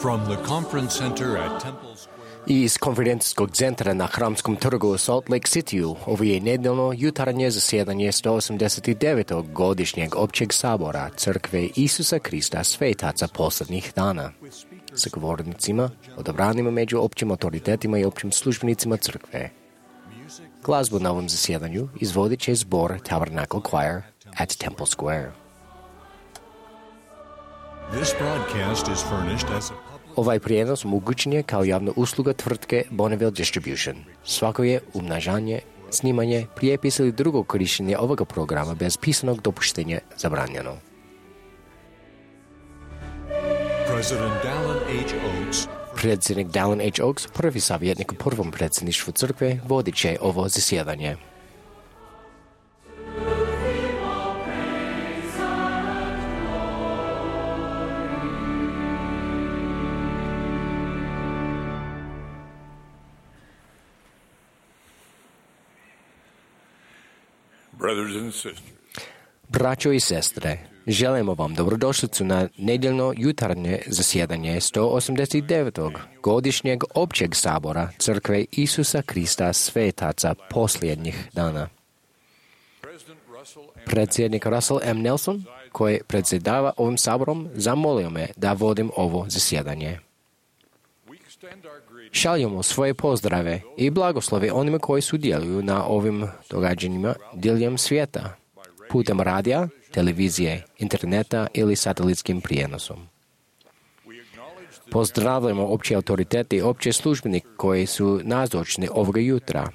From the conference center at Temple Square. Iz konferencijskog centra na Hramskom trgu u Salt Lake Cityu ovo je nedeljno jutarnje zasjedanje 189. godišnjeg općeg sabora Crkve Isusa Krista svetaca posljednjih dana. Sa govornicima, odabranima među općim autoritetima i općim službenicima crkve. Glazbu na ovom zasjedanju izvodit će zbor Tabernacle Choir at Temple Square. This broadcast is furnished as a Ovaj prijenos omogućen je kao javna usluga tvrtke Bonneville Distribution. Svako je umnažanje, snimanje, prijepis ili drugo korištenje ovoga programa bez pisanog dopuštenja zabranjeno. Predsjednik Dallin H. Oaks, prvi savjetnik u prvom predsjedništvu crkve, vodit će ovo zasjedanje. Braćo i sestre, želimo vam dobrodošlicu na nedjeljno jutarnje zasjedanje 189. godišnjeg općeg sabora Crkve Isusa Krista svetaca posljednjih dana. Predsjednik Russell M. Nelson, koji predsjedava ovim saborom, zamolio me da vodim ovo zasjedanje. Šaljemo svoje pozdrave i blagoslove onima koji sudjeluju na ovim događanjima diljem svijeta, putem radija, televizije, interneta ili satelitskim prijenosom. Pozdravljamo opće autoritete i opće službenike koji su nazočni ovoga jutra.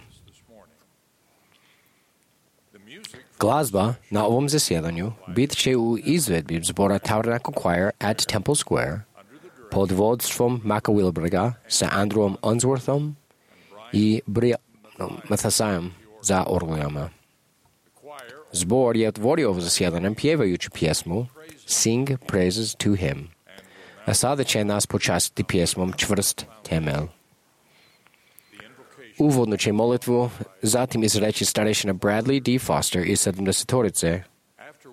Glazba na ovom zasjedanju bit će u izvedbi zbora Tabernacle Choir at Temple Square pod vodstvom Maka Wilberga sa Andrewom Unsworthom i Brianom Mathasajem za orglujama. Zbor je otvorio ovo zasjedanje pjevajući pjesmu Sing Praises to Him, a sada će nas počastiti pjesmom Čvrst temelj. Uvodnu će molitvu zatim izreći starešina Bradley D. Foster iz 70-torice,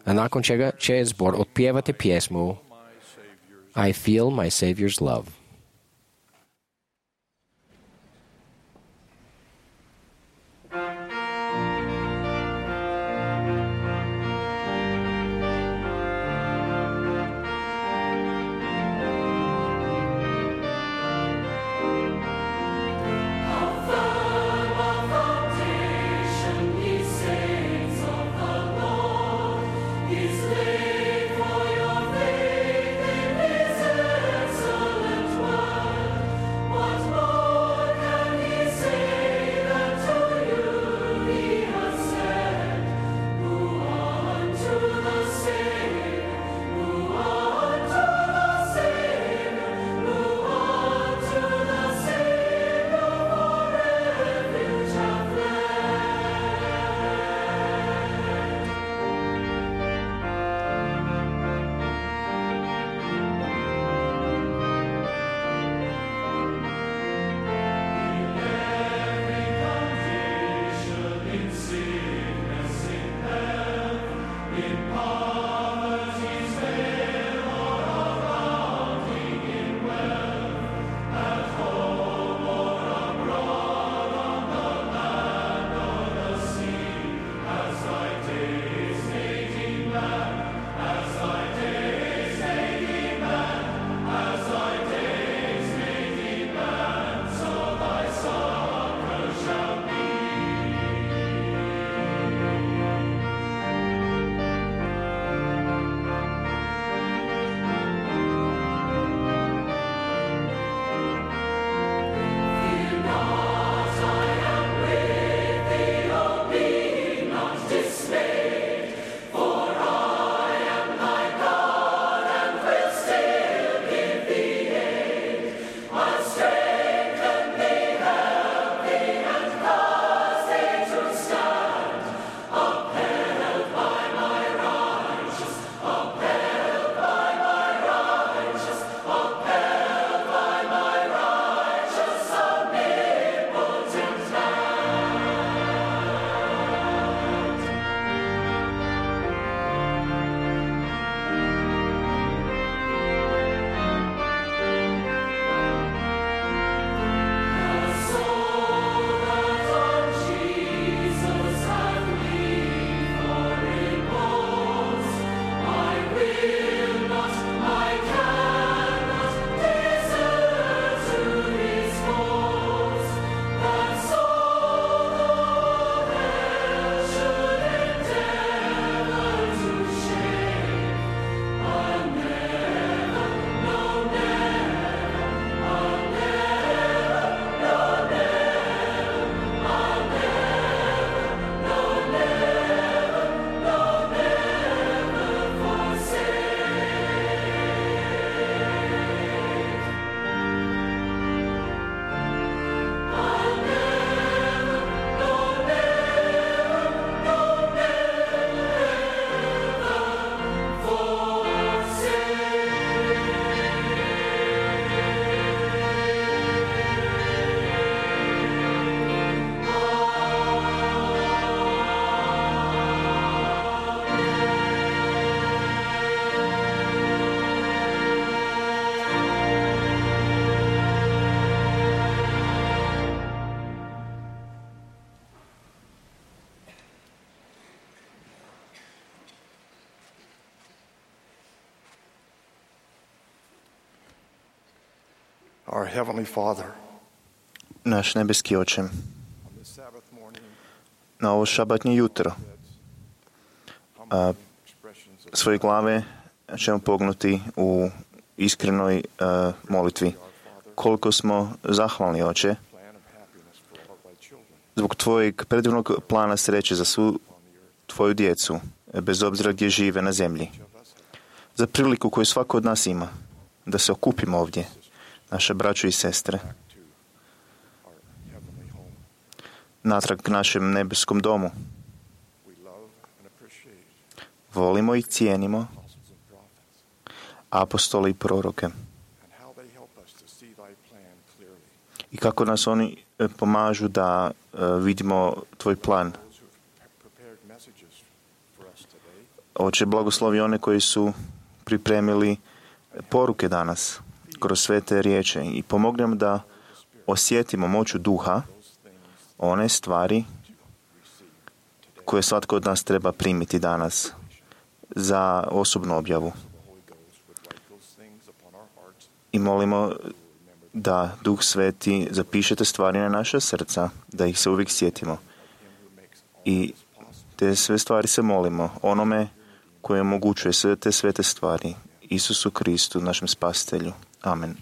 a nakon čega će zbor otpjevati pjesmu I Feel My Savior's Love. Our Heavenly Father, Naš nebeski Oče, on this Sabbath morning, na ovo šabatnje jutro humble expressions of svoje glave ćemo pognuti u iskrenoj molitvi. Koliko smo zahvalni, Oče, plan of happiness for all of thy children zbog Tvojeg predivnog plana sreće za svu Tvoju djecu, bez obzira gdje žive na zemlji. Za priliku koju svako od nas ima, da se okupimo ovdje, naše braćo i sestre, to our heavenly home. natrag k našem nebeskom domu. We love and appreciate Volimo i cijenimo apostles and prophets apostole i proroke and how they help us to see thy plan clearly. i kako nas oni pomažu da vidimo Tvoj plan. Those who have prepared messages for us today, Oče, blagoslovi one koji su pripremili poruke danas kroz sve te riječi i pomogni nam da osjetimo moću duha, those things one stvari receive today. koje svatko od nas treba primiti danas za osobnu objavu. The Holy Ghost would write those things upon our hearts. I molimo da Duh Sveti zapiše te stvari na naša srca, da ih se uvijek sjetimo. Him who makes all I this possible. te sve stvari se molimo onome koji omogućuje sve te svete stvari, Isusu Kristu, našem spasitelju. Amen.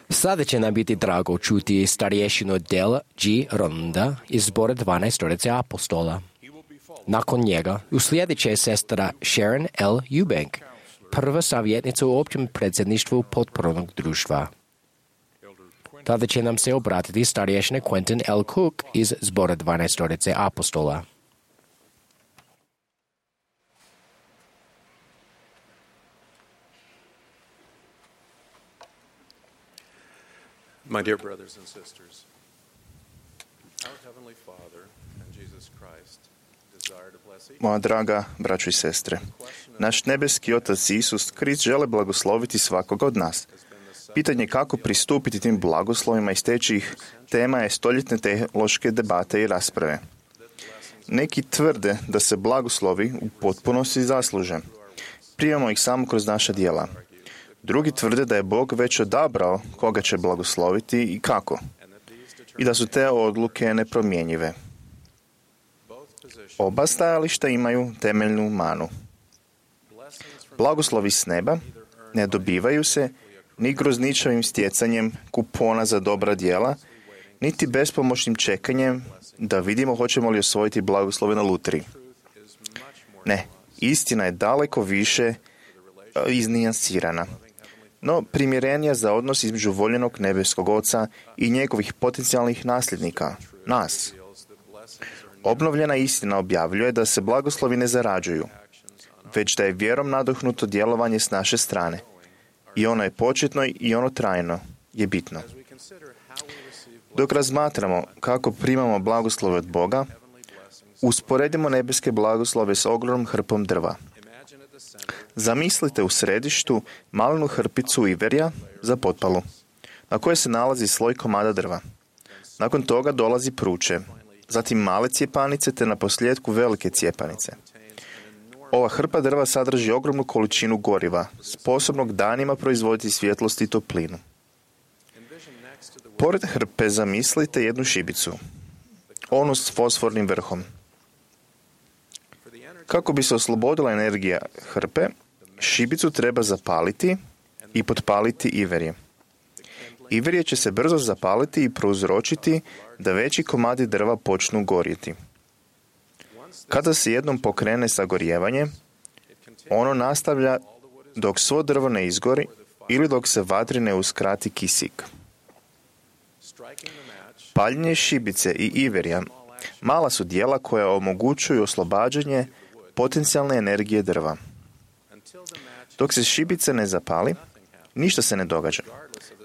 Sada će nam biti drago čuti starješinu Del G. Ronda iz zbora 12 stoljeća apostola. Nakon njega uslijedit će sestra Sharon L. Eubank, prva savjetnica u općem predsjedništvu potpornog društva. Tada će nam se obratiti starješina Quentin L. Cook iz zbora 12 stoljeća apostola. My dear brothers and sisters, our Heavenly Father and Jesus Christ desire to bless each. Moja draga braćo i sestre, naš nebeski Otac Isus Krist žele blagosloviti svakoga od nas. Pitanje kako pristupiti tim blagoslovima i steći ih tema je stoljetne teološke debate i rasprave. Neki tvrde da se blagoslovi u potpunosti zasluže. Primamo ih samo kroz naša djela. Drugi tvrde da je Bog već odabrao koga će blagosloviti i kako. I da su te odluke nepromjenjive. Oba stajališta imaju temeljnu manu. Blagoslovi s neba ne dobivaju se ni grozničavim stjecanjem kupona za dobra djela, niti bespomoćnim čekanjem da vidimo hoćemo li osvojiti blagoslove na lutriji. Ne, istina je daleko više iznijansirana, no primjerenija za odnos između voljenog nebeskog Oca i njegovih potencijalnih nasljednika, nas. Obnovljena istina objavljuje da se blagoslovi ne zarađuju, već da je vjerom nadahnuto djelovanje s naše strane. I ono je početno i ono trajno je bitno. Dok razmatramo kako primamo blagoslove od Boga, usporedimo nebeske blagoslove s ogromnom hrpom drva. Zamislite u središtu malenu hrpicu iverja za potpalu, na kojoj se nalazi sloj komada drva. Nakon toga dolazi pruče, zatim male cijepanice te naposljetku velike cijepanice. Ova hrpa drva sadrži ogromnu količinu goriva, sposobnog danima proizvoditi svjetlost i toplinu. Pored hrpe zamislite jednu šibicu, onu s fosfornim vrhom. Kako bi se oslobodila energija hrpe, šibicu treba zapaliti i potpaliti iverje. Iverje će se brzo zapaliti i prouzročiti da veći komadi drva počnu gorjeti. Kada se jednom pokrene sagorijevanje, ono nastavlja dok svo drvo ne izgori ili dok se vatri ne uskrati kisik. Paljenje šibice i iverja mala su djela koja omogućuju oslobađanje potencijalne energije drva. Dok se šibica ne zapali, ništa se ne događa,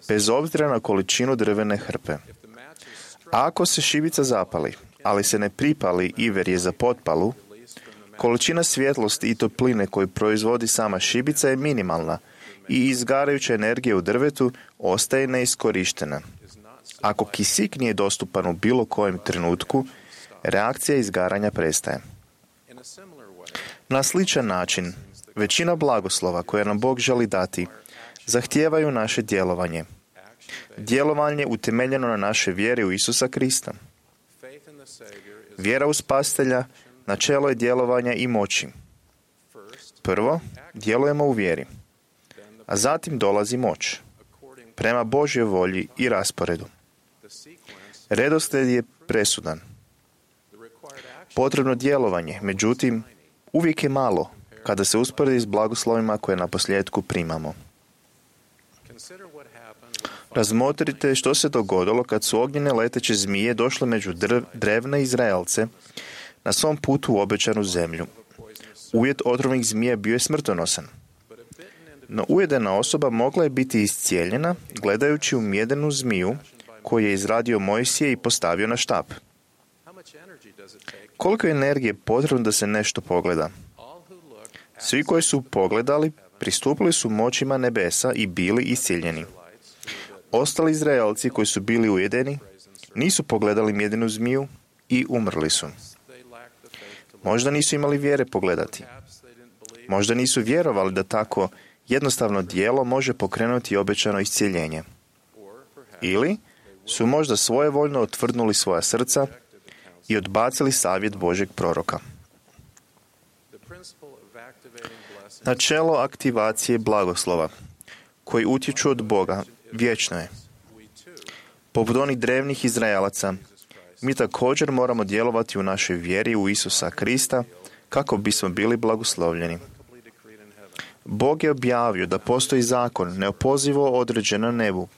bez obzira na količinu drvene hrpe. A ako se šibica zapali, ali se ne pripali iverje za potpalu, količina svjetlosti i topline koju proizvodi sama šibica je minimalna i izgarajuća energija u drvetu ostaje neiskorištena. Ako kisik nije dostupan u bilo kojem trenutku, reakcija izgaranja prestaje. Na sličan način, većina blagoslova koje nam Bog želi dati zahtijevaju naše djelovanje. Djelovanje utemeljeno na naše vjere u Isusa Krista. Vjera u Spasitelja načelo je djelovanja i moći. Prvo, djelujemo u vjeri, a zatim dolazi moć, prema Božjoj volji i rasporedu. Redoslijed je presudan. Potrebno djelovanje, međutim, uvijek je malo kada se usporedi s blagoslovima koje na posljedku primamo. Razmotrite što se dogodilo kad su ognjene leteće zmije došle među drevne Izraelce na svom putu u obećanu zemlju. Ujed otrovnih zmija bio je smrtonosan. No ujedena osoba mogla je biti iscijeljena gledajući u mjedenu zmiju koju je izradio Mojsije i postavio na štap. Koliko je energije potrebno da se nešto pogleda? Svi koji su pogledali pristupili su moćima nebesa i bili iscijeljeni. Ostali Izraelci koji su bili ujedeni nisu pogledali mjedenu zmiju i umrli su. Možda nisu imali vjere pogledati. Možda nisu vjerovali da tako jednostavno djelo može pokrenuti obećano iscijeljenje. Ili su možda svojevoljno otvrdnuli svoja srca i odbacili savjet Božjeg proroka. Načelo aktivacije blagoslova koji utječu od Boga vječno je. Poput onih drevnih Izraelaca, mi također moramo djelovati u našoj vjeri u Isusa Krista kako bismo bili blagoslovljeni. Bog je objavio da postoji zakon neopozivo određen na nebu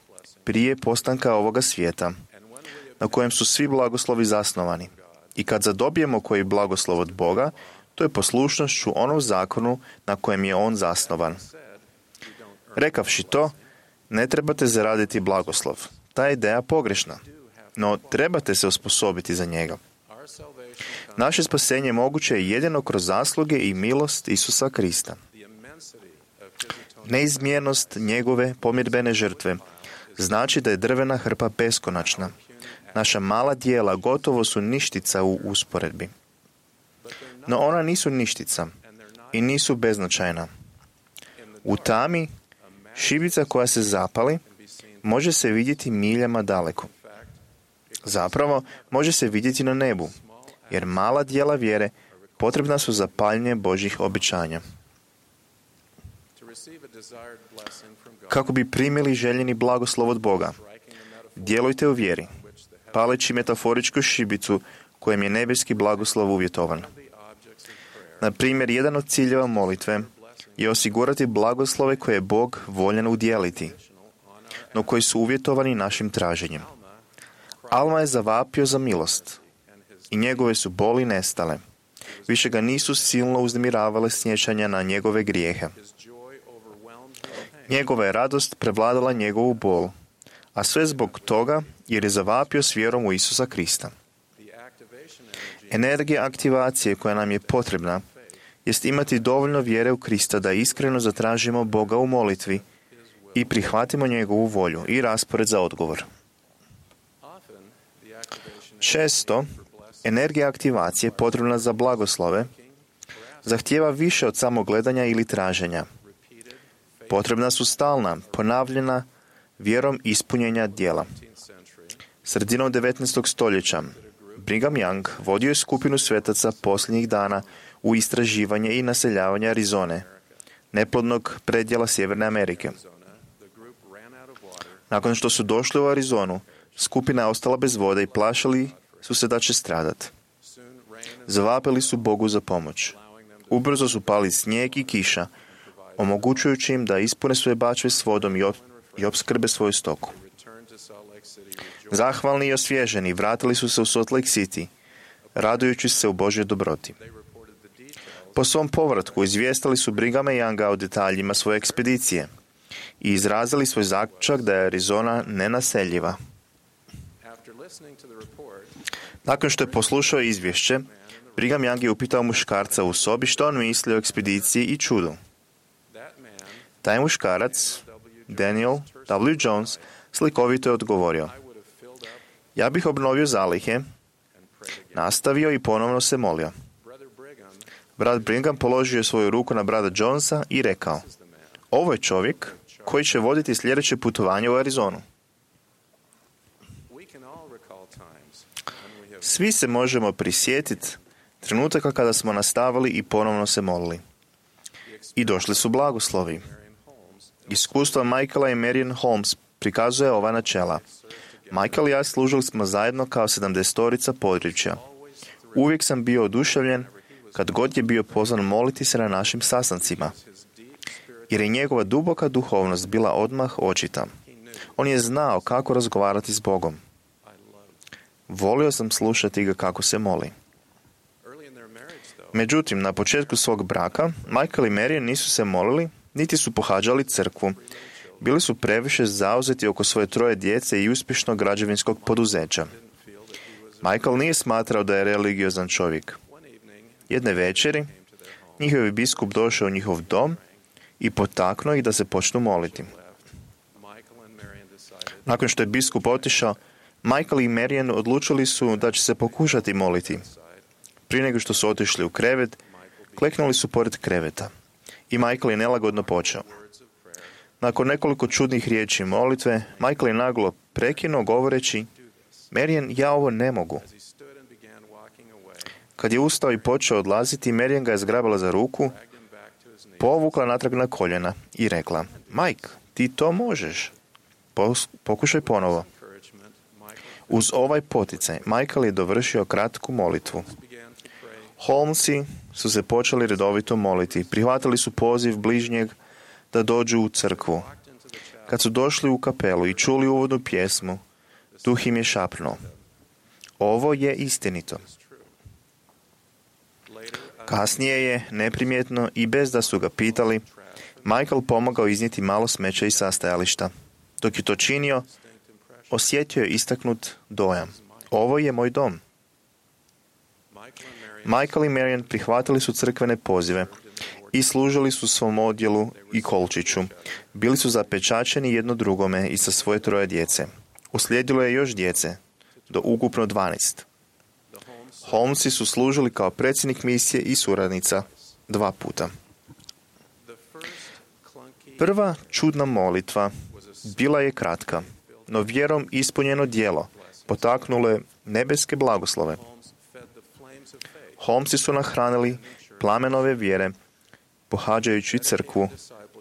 prije postanka ovoga svijeta, na kojem su svi blagoslovi zasnovani. I kad zadobijemo koji blagoslov od Boga, to je poslušnošću onom zakonu na kojem je on zasnovan. Rekavši to, ne trebate zaraditi blagoslov. Ta je ideja pogrešna, no trebate se osposobiti za njega. Naše spasenje moguće je jedino kroz zasluge i milost Isusa Krista. Neizmjernost njegove pomirbene žrtve znači da je drvena hrpa beskonačna. Naša mala djela gotovo su ništica u usporedbi. No ona nisu ništica i nisu beznačajna. U tami, šibica koja se zapali, može se vidjeti miljama daleko. Zapravo, može se vidjeti na nebu, jer mala djela vjere potrebna su za paljenje Božjih obećanja. Kako bi primili željeni blagoslov od Boga, djelujte u vjeri, paleći metaforičku šibicu kojem je nebeski blagoslov uvjetovan. Na primjer, jedan od ciljeva molitve je osigurati blagoslove koje je Bog voljan udjeliti, no koji su uvjetovani našim traženjem. Alma je zavapio za milost i njegove su boli nestale. Više ga nisu silno uznemiravale sjećanja na njegove grijehe. Njegova je radost prevladala njegovu bol, a sve zbog toga jer je zavapio s vjerom u Isusa Krista. Energija aktivacije koja nam je potrebna jest imati dovoljno vjere u Krista da iskreno zatražimo Boga u molitvi i prihvatimo njegovu volju i raspored za odgovor. Često, energija aktivacije potrebna za blagoslove zahtijeva više od samog gledanja ili traženja. Potrebna su stalna, ponavljena, vjerom ispunjenja djela. Sredinom 19. stoljeća Brigham Young vodio je skupinu svetaca posljednjih dana u istraživanje i naseljavanje Arizone, neplodnog predjela Sjeverne Amerike. Nakon što su došli u Arizonu, skupina je ostala bez vode i plašili su se da će stradati. Zavapili su Bogu za pomoć. Ubrzo su pali snijeg i kiša, omogućujući im da ispune svoje bačve s vodom i opskrbe svoju stoku. Zahvalni i osvježeni vratili su se u Salt Lake City, radujući se u Božjoj dobroti. Po svom povratku izvijestili su Brighama Younga o detaljima svoje ekspedicije i izrazili svoj zaključak da je Arizona nenaseljiva. Nakon što je poslušao izvješće, Brigham Young je upitao muškarca u sobi što on misli o ekspediciji i čudu. Taj muškarac, Daniel W. Jones, slikovito je odgovorio: ja bih obnovio zalihe, nastavio i ponovno se molio. Brat Brigham položio je svoju ruku na brata Jonesa i rekao: ovo je čovjek koji će voditi sljedeće putovanje u Arizonu. Svi se možemo prisjetiti trenutaka kada smo nastavili i ponovno se molili. I došli su blagoslovi. Iskustvo Michaela i Marian Holmes prikazuje ova načela. Michael i ja služili smo zajedno kao 70-torica područja. Uvijek sam bio oduševljen kad god je bio pozvan moliti se na našim sastancima, jer je njegova duboka duhovnost bila odmah očita. On je znao kako razgovarati s Bogom. Volio sam slušati ga kako se moli. Međutim, na početku svog braka, Michael i Marian nisu se molili, niti su pohađali crkvu. Bili su previše zauzeti oko svoje 3 djece i uspješnog građevinskog poduzeća. Michael nije smatrao da je religiozan čovjek. Jedne večeri, njihov biskup došao u njihov dom i potaknuo ih da se počnu moliti. Nakon što je biskup otišao, Michael i Marian odlučili su da će se pokušati moliti. Prije nego što su otišli u krevet, kleknuli su pored kreveta i Michael je nelagodno počeo. Nakon nekoliko čudnih riječi molitve, Michael je naglo prekinuo govoreći: Marian, ja ovo ne mogu. Kad je ustao i počeo odlaziti, Marian ga je zgrabila za ruku, povukla natrag na koljena i rekla: Mike, ti to možeš. Pokušaj ponovo. Uz ovaj poticaj, Michael je dovršio kratku molitvu. Holmesi su se počeli redovito moliti. Prihvatili su poziv bližnjeg da dođu u crkvu. Kad su došli u kapelu i čuli uvodnu pjesmu, duh im je šapnuo: ovo je istinito. Kasnije je, neprimjetno i bez da su ga pitali, Michael pomogao iznijeti malo smeća iz sastajališta. Dok je to činio, osjetio je istaknut dojam: ovo je moj dom. Michael i Marian prihvatili su crkvene pozive i služili su svom odjelu i kolčiću. Bili su zapečačeni jedno drugome i sa svoje 3 djece. Uslijedilo je još djece, do ukupno 12. Holmesi su služili kao predsjednik misije i suradnica 2 puta. Prva čudna molitva bila je kratka, no vjerom ispunjeno djelo potaknulo je nebeske blagoslove. Holmesi su nahranili plamenove vjere, pohađajući crkvu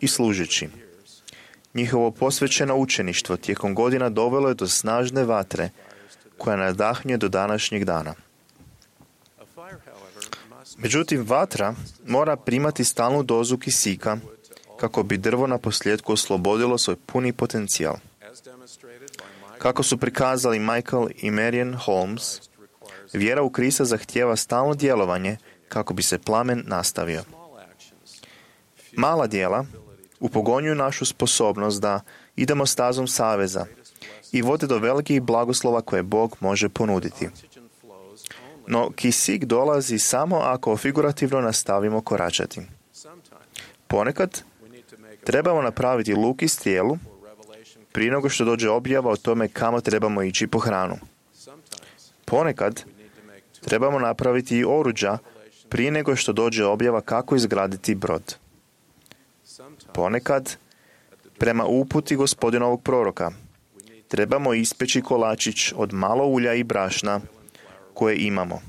i služeći. Njihovo posvećeno učeništvo tijekom godina dovelo je do snažne vatre koja nadahnjuje do današnjeg dana. Međutim, vatra mora primati stalnu dozu kisika kako bi drvo na posljedku oslobodilo svoj puni potencijal. Kako su prikazali Michael i Marian Holmes, vjera u Krista zahtijeva stalno djelovanje kako bi se plamen nastavio. Mala djela upogonjuju našu sposobnost da idemo stazom saveza i vode do velikih blagoslova koje Bog može ponuditi. No kisik dolazi samo ako figurativno nastavimo koračati. Ponekad trebamo napraviti luk i strijelu prije nego što dođe objava o tome kamo trebamo ići po hranu. Ponekad trebamo napraviti i oruđa prije nego što dođe objava kako izgraditi brod. Ponekad, prema uputi Gospodinovog proroka, trebamo ispeći kolačić od malo ulja i brašna koje imamo,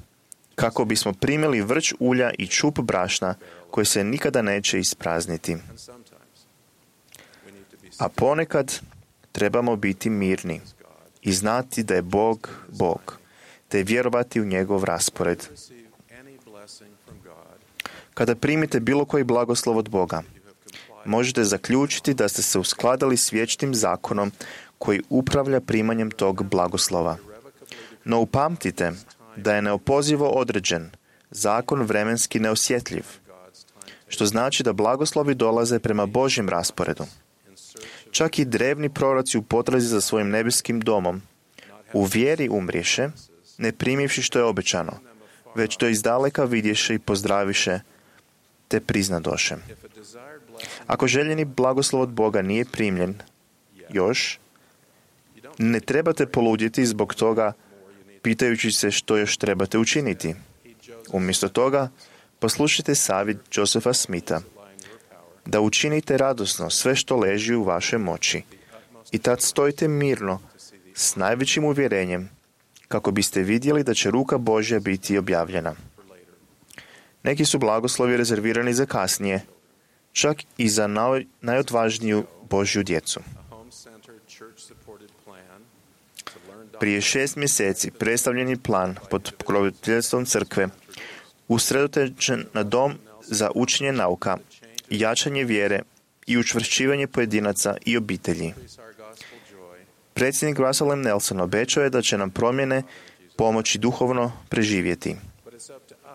kako bismo primili vrč ulja i čup brašna koje se nikada neće isprazniti. A ponekad trebamo biti mirni i znati da je Bog Bog, te vjerovati u njegov raspored. Kada primite bilo koji blagoslov od Boga, možete zaključiti da ste se uskladali s vječnim zakonom koji upravlja primanjem tog blagoslova. No upamtite da je neopozivo određen, zakon vremenski neosjetljiv, što znači da blagoslovi dolaze prema Božjem rasporedu. Čak i drevni proroci u potrazi za svojim nebeskim domom u vjeri umriješe, ne primivši što je obećano, već to izdaleka vidješe i pozdraviše, te priznadoše. Ako željeni blagoslov od Boga nije primljen još, ne trebate poludjeti zbog toga pitajući se što još trebate učiniti. Umjesto toga, poslušajte savjet Josepha Smitha da učinite radosno sve što leži u vašoj moći i tad stojite mirno s najvećim uvjerenjem kako biste vidjeli da će ruka Božja biti objavljena. Neki su blagoslovi rezervirani za kasnije, čak i za najodvažniju Božju djecu. Prije 6 mjeseci predstavljen je plan pod pokroviteljstvom crkve usredotočen na dom za učenje nauka, jačanje vjere i učvršćivanje pojedinaca i obitelji. Predsjednik Russell M. Nelson obećao je da će nam promjene pomoći duhovno preživjeti,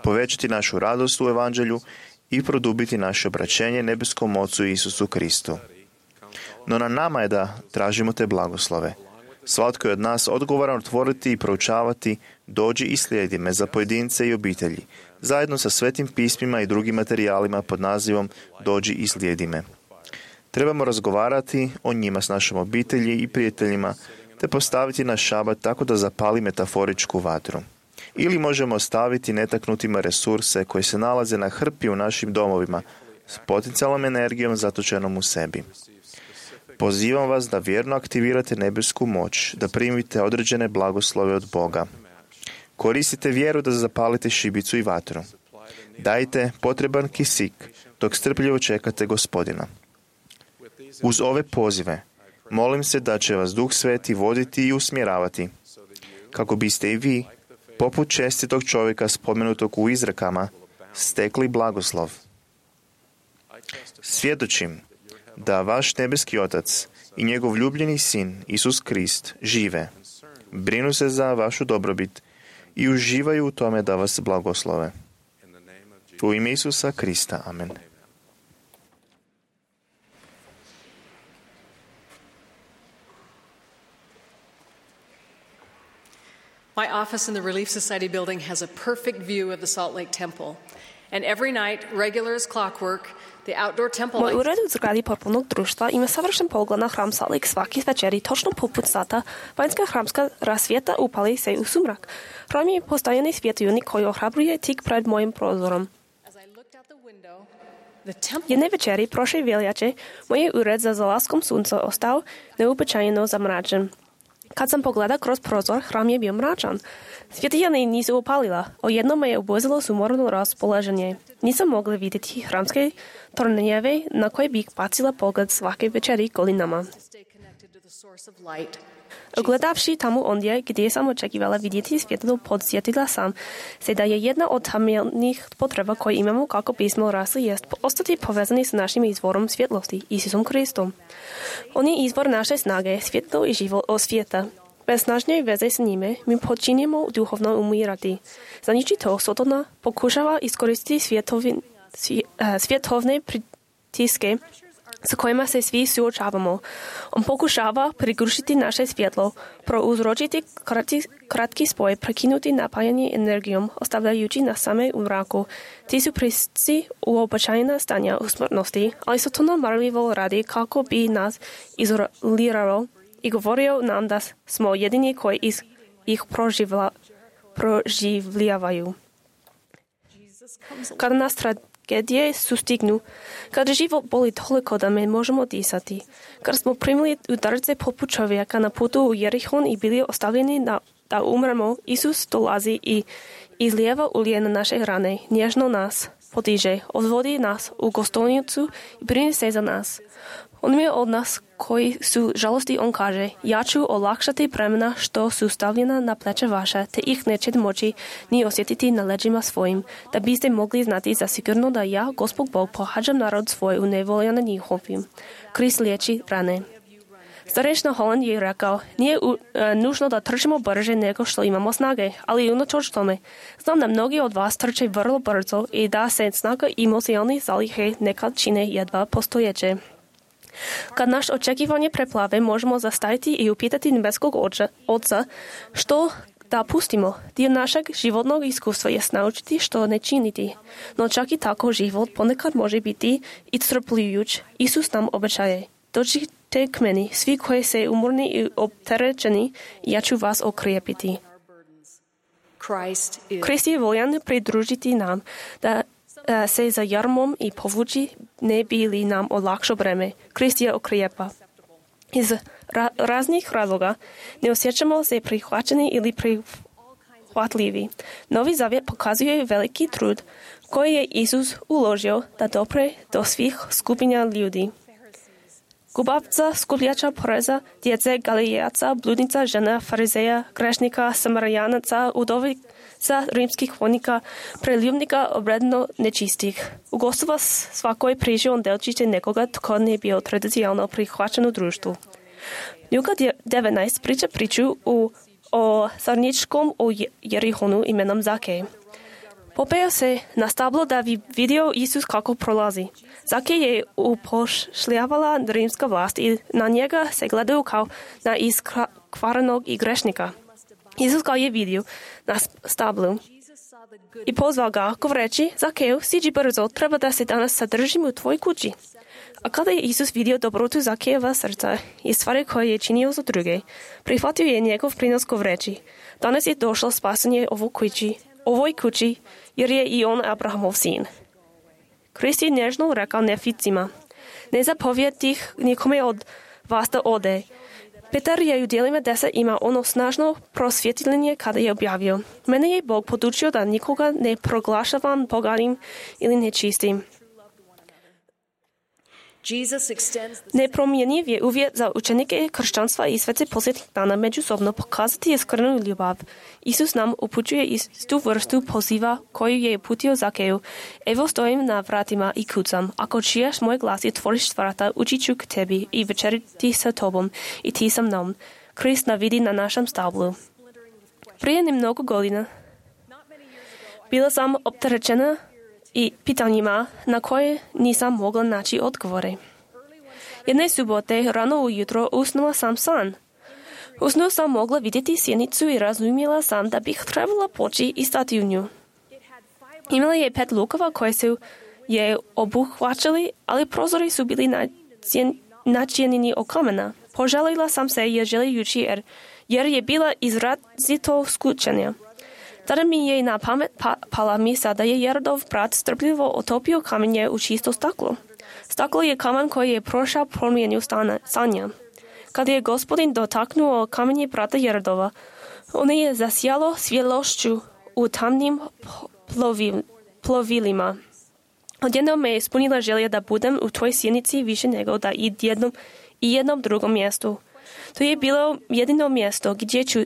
povećati našu radost u evanđelju i produbiti naše obraćenje nebeskom Ocu Isusu Kristu. No na nama je da tražimo te blagoslove. Svatko je od nas odgovoran otvoriti i proučavati "Dođi i slijedi me" za pojedince i obitelji, zajedno sa svetim pismima i drugim materijalima pod nazivom "Dođi i slijedi me". Trebamo razgovarati o njima s našom obitelji i prijateljima, te postaviti naš šabat tako da zapali metaforičku vatru. Ili možemo ostaviti netaknutima resurse koji se nalaze na hrpi u našim domovima s potencijalnom energijom zatočenom u sebi. Pozivam vas da vjerno aktivirate nebesku moć, da primite određene blagoslove od Boga. Koristite vjeru da zapalite šibicu i vatru. Dajte potreban kisik dok strpljivo čekate Gospodina. Uz ove pozive, Molim se da će vas Duh Sveti voditi i usmjeravati, kako biste i vi, poput čestitog čovjeka spomenutog u izrekama, stekli blagoslov. Svjedočim da vaš nebeski Otac i njegov ljubljeni Sin, Isus Krist, žive, brinu se za vašu dobrobit i uživaju u tome da vas blagoslove. U ime Isusa Krista. Amen. My office in the Relief Society building has a perfect view of the Salt Lake Temple. And every night, regular as clockwork, the outdoor temple Moj ured u zgradi potpunog društva ima savršen pogled na hram Salt Lake svaki večeri, točno poput sata, vanjska hramska rasvjeta upali se u sumrak. Hram je postajeni svjetionik koji ohrabruje tik pred mojim prozorom. Jedne večeri prošle veljače moj ured za zalaskom sunca ostao neuobičajeno zamračen. Kad sam pogledao kroz prozor, hram je bio mračan. Svjetljene nisu upalila, o jednom me je obuzilo sumorno raspoloženje. Nisam mogla vidjeti hramske tornjeve na koje bih bacila pogled svake večeri godinama. Gledavši tamo ondje, gdje sam očekivala vidjeti svjetlo, podsjetila sam se da je jedna od temeljnih potreba koje imamo kako bismo rasli jest ostati povezani s našim izvorom svjetlosti, Isusom Kristom. On je izvor naše snage, svjetlo i život od svijeta. Bez snažne veze s njime mi počinjemo duhovno umirati. Znači to, Sotona pokušava iskoristiti svjetovne pritiske s kojima se svi suočavamo. On pokušava prigušiti naše svjetlo, prouzročiti kratki spoj, prekinuti napajanje energijom, ostavljajući nas same u mraku. Ti su prisci uobičajena stanja u smrtnosti, ali Sotona marljivo radi kako bi nas izolirao i govorio nam da smo jedini koji ih proživljavaju. Kada nas tragedije sustignu, kada život boli toliko da ne možemo disati, kada smo primili udarce poput čovjeka na putu u Jerihon i bili ostavljeni da umremo, Isus dolazi i izlijeva ulje na naše rane, nježno nas podiže, odvodi nas u gostovnicu i brine se za nas. On je od nas koji su žalosti, on kaže, ja ću olakšati bremena što su stavljena na pleće vaše, te ih nećete moći ni osjetiti na leđima svojim, da biste mogli znati zasigurno da ja, Gospod Bog, pohađam narod svoj u nevolja na njihovim. Krist liječi rane. Starešna Holland je rekao, nije nužno da trčimo brže nego što imamo snage, ali unatoč tome, znam da mnogi od vas trče vrlo brzo i da se snaga i emocionalne zalihe nekad čine jedva postojeće. Kad naš očekivanje preplave, možemo zastaviti i upitati nebeskog Oca što da pustimo. Dio našeg životnog iskustva je naučiti što ne činiti. No čak i tako život ponekad može biti iscrpljujuć. Isus nam obećaje, dođite k meni, svi koji se umorni i opterećeni, ja ću vas okrijepiti. Krist je voljan pridružiti nam da se za jarmom i povući ne bi li nam olakšao breme. Krist je okrijepa. Iz raznih razloga ne osjećamo se prihvaćeni ili prihvatljivi. Novi zavjet pokazuje veliki trud koji je Isus uložio da dopre do svih skupina ljudi. Gubavca, skupljača poreza, djece, galilejaca, bludnica, žena, farizeja, grešnika, samarijanaca, udovica, rimskih vojnika, preljubnika, obredno nečistih. Ugostava svakoj priži on delčiće nekoga tko ne bio tradicionalno prihvaćen u društvu. Luka 19 priča priču o sarničkom u Jerihonu imenom Zakej. Popeo se na stablo da bi vidio Isus kako prolazi. Zakej je upošljavala rimska vlast i na njega se gledaju kao na iskvarenog i grešnika. Isus ga je vidio na stablu i pozvao ga govoreći, Zakeju, siđi brzo, treba da se danas sadržim u tvojoj kući. A kada je Isus vidio dobrotu Zakejeva srca i stvari koje je činio za druge, prihvatio je njegov prinos govoreći, danas je došlo spasanje ovoj kući, jer je i on Abrahamov sin. Krist je nježno rekao neficima, ne zapovjedi nikome od vas da ode. Petar je u dijelima 10 ima ono snažno prosvjetljenje kada je objavio, mene je Bog podučio da nikoga ne proglašavam poganim ili nečistim. Непроменив uvjet za učenike kršćanstva i sve posjetnih dana međusobno pokazati iskrenu ljubav. Isus nam upućuje istu vrstu poziva koju je uputio Zakeju. Evo stojim na vratima i kucam. Ako čuješ moj glas i otvoriš vrata, ući ću k tebi i večeriti sa tobom i ti sa mnom. Krist navidi na našem stablu. Prije mnogo godina bila sam opterećena i pitanjima na koje nisam mogla naći odgovore. Jedne subote rano ujutro usnula sam san. U snu sam mogla vidjeti sjenicu i razumjela sam da bih trebala poći i stati u nju. Imala je 5 lukova koje su je obuhvaćali, ali prozori su bili načinjeni od kamena. Požalila sam se želejući jer je bila izrazito skučena. Tada mi je na pamet pala misla da je Jerodov brat strpljivo otopio kamenje u čisto staklo. Staklo je kamen koji je prošao promjenu stanja. Kad je Gospodin dotaknuo kamenje brata Jerodova, ono je zasijalo svjetlošću u tamnim plovilima. Odjednom me je ispunila želja da budem u tvoj sjenici više nego da i jednom drugom mjestu. To je bilo jedino mjesto gdje ću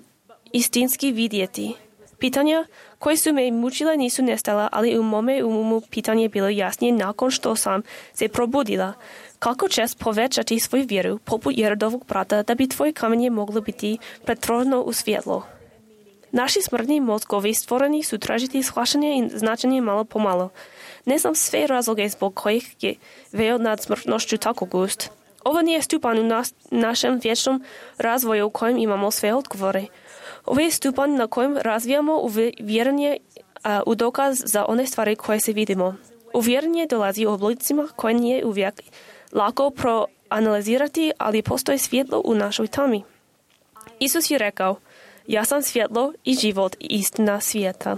istinski vidjeti. Pitanja koje su me mučile nisu nestala, ali u mome umu pitanje bilo jasnije nakon što sam se probudila. Kako ćeš povećati svoju vjeru poput Jerodovog brata da bi tvoje kamenje moglo biti pretvoreno u svjetlo? Naši smrtni mozgovi stvoreni su tražiti shvaćanje i značenje malo po malo. Ne znam sve razloge zbog kojih je veo nad smrtnošću tako gust. Ovo nije stupanj u našem vječnom razvoju u kojem imamo sve odgovore. Ovo je stupanj na kojem razvijamo uvjerenje u dokaz za one stvari koje se vidimo. Uvjerenje dolazi u oblicima koje nije uvijek lako proanalizirati, ali postoji svjetlo u našoj tami. Isus je rekao, ja sam svjetlo i život i istina svijeta.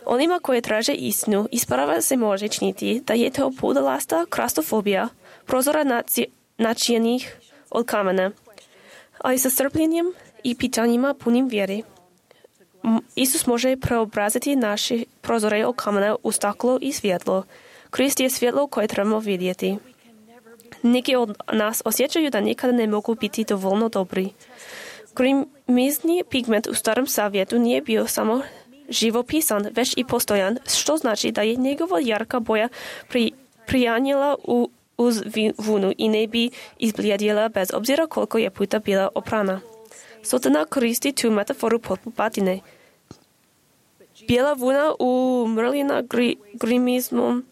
Onima koje traže istinu, isprava se može činiti da je to pudalasta krastofobija, prozora načinjenih od kamena, ali sa strpljenjem i pitanjima punim vjere. Isus može preobraziti naše prozore od kamena u staklo i svjetlo. Krist je svjetlo koje trebamo vidjeti. Neki od nas osjećaju da nikada ne mogu biti dovoljno dobri. Grimizni pigment u Starom Zavjetu nije bio samo živopisan, već i postojan, što znači da je njegova jarka boja prijanjela uz vunu i ne bi izblijedjela bez obzira koliko je puta bila oprana. Sotana koristi tu metaforu poput batine. Bijela vuna umrljena grimizmom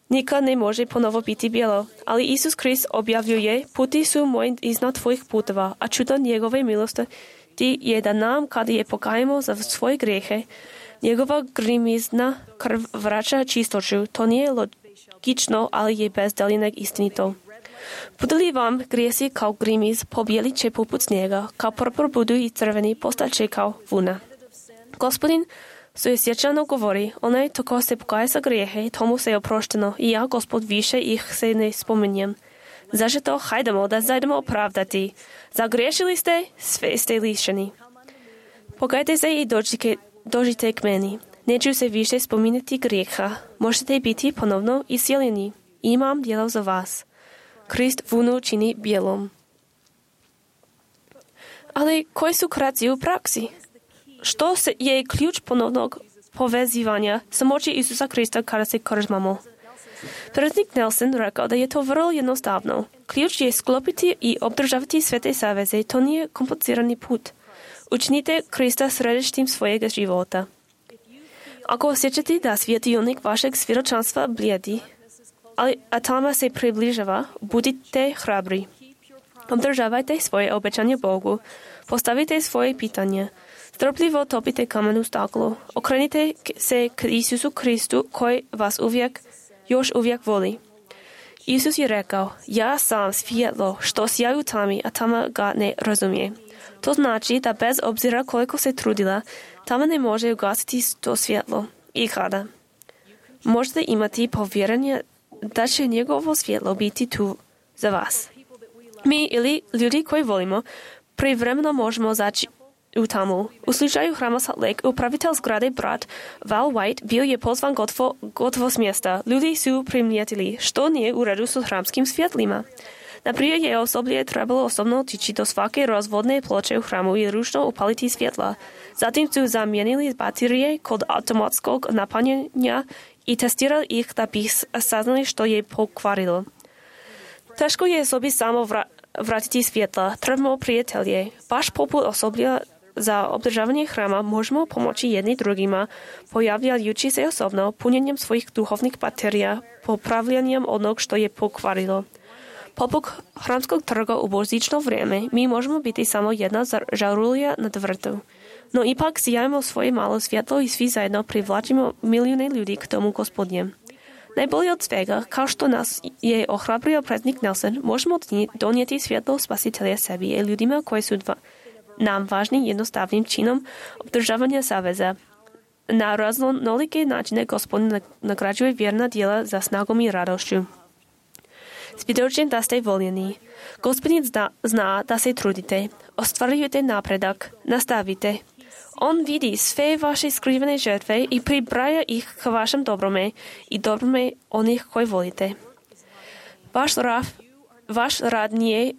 nikad ne može ponovo biti bijelo, ali Isus Krist objavljuje, puti su moji iznad tvojih putova, a čudo njegove milosti je da nam, kada je pokajemo za svoje grijehe, njegova grimizna krv vraća čistoću. To nije logično, ali je bez daljnjeg istinito. Budu li vam grijesi kao grimiz, pobijeli će poput snijega, kao purpur budu i crveni, postaće kao vuna. Gospodin suosjećano govori, onaj tko se pokaje za grijehe, tomu se je oprošteno, i ja, Gospod, više ih se ne spominjem. Zašto hajdemo da zajdemo opravdati? Zagriješili ste, sve ste lišeni. Pokajte se i dođite k meni. Neću se više spominjati grijeha. Možete biti ponovno iscijeljeni. Imam djelo za vas. Krist vunu čini bijelom. Ali koji su koraci u praksi? Što je ključ ponovnog povezivanja sa moći Isusa Krista kada se krzmamo? Predsjednik Nelson rekao da je to vrlo jednostavno. Ključ je sklopiti i obdržavati sve te saveze. To nije komplicirani put. Učinite Krista središtem svojega života. Ako osjećate da svjetionik vašeg svjedočanstva blijedi, a tama se približava, budite hrabri. Obdržavajte svoje obećanje Bogu. Postavite svoje pitanje. Strpljivo topite kamen u staklo. Okrenite se k Isusu Kristu koji vas još uvijek voli. Isus je rekao, ja sam svjetlo što sija u tami, a tama ga ne razumije. To znači da bez obzira koliko se trudila, tama ne može ugasiti to svjetlo. I kada? Možete imati povjerenje da će njegovo svjetlo biti tu za vas. Mi ili ljudi koji volimo, privremeno možemo u tamu. U slučaju Hrama Salt Lake upravitel zgrade brat Val White bio je pozvan gotovo s mjesta. Ljudi su primijetili, što nije u redu s hramskim svjetlima. Naprijed je osoblje trebalo osobno otići do svake razvodne ploče u hramu i ručno upaliti svjetla. Zatim su zamijenili baterije kod automatskog napunjenja i testirali ih da bi saznali što je pokvarilo. Teško je sobi samo vratiti svjetla. Trebamo prijatelje. Baš poput osoblja za održavanje hrama možemo pomoći jedni drugima, pojavljajući se osobno, punjenjem svojih duhovnih baterija, popravljanjem onog što je pokvarilo. Poput hramskog trga u božićno vrijeme, mi možemo biti samo jedna žarulja na vrtu. No ipak sijajmo svoje malo svjetlo i svi zajedno privlačimo milijune ljudi k tomu Gospodnjem. Najbolje od svega, kao što nas je ohrabrio predsjednik Nelson, možemo donijeti svjetlo spasitelja sebi i ljudima koji su nam važni jednostavnim činom obdržavanja saveza. Na raznolike načine Gospodin nagrađuje vjerna djela za snagom i radošću. Svjedočim da ste voljeni. Gospodin zna da se trudite, ostvarujete napredak, nastavite. On vidi sve vaše skrivene žrtve i pribraja ih k vašem dobrome i dobrome onih koji volite. Vaš rad nije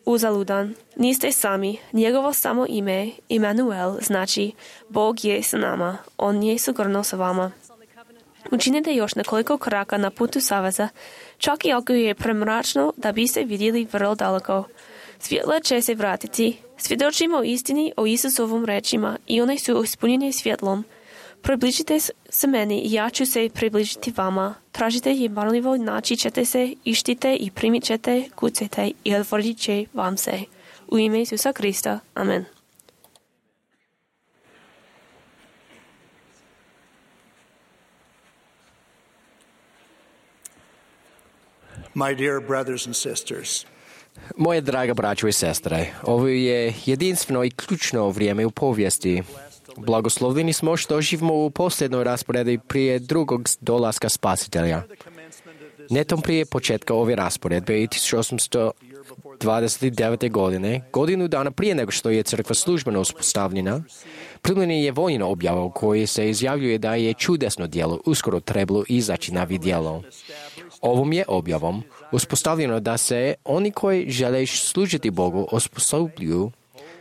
uzaludan. Niste sami. Njegovo samo ime, Immanuel, znači Bog je s nama. On je sigurno s vama. Učinite još nekoliko koraka na putu saveza, čak i ako je premračno da biste vidjeli vrlo daleko. Svjetla će se vratiti. Svjedočimo istini o Isusovom rečima i one su ispunjene svjetlom. Približite se meni i ja ću se približiti vama. Tražite i marljivo naći ćete se, ištite i primit ćete, kucajte i otvorit će vam se. U ime Isusa Krista. Amen. My dear brothers and sisters, Moje draga braćo i sestre, ovo je jedinstveno i ključno vrijeme u povijesti. Blagoslovljeni smo što živimo u posljednoj rasporedi prije drugog dolaska spasitelja. Netom prije početka ove rasporedbe i 1829. godine, godinu dana prije nego što je crkva službeno uspostavljena, primljen je vojna objava u kojoj se izjavljuje da je čudesno djelo uskoro trebalo izaći na vidjelo. Ovom je objavom uspostavljeno da se oni koji žele služiti Bogu osposobljuju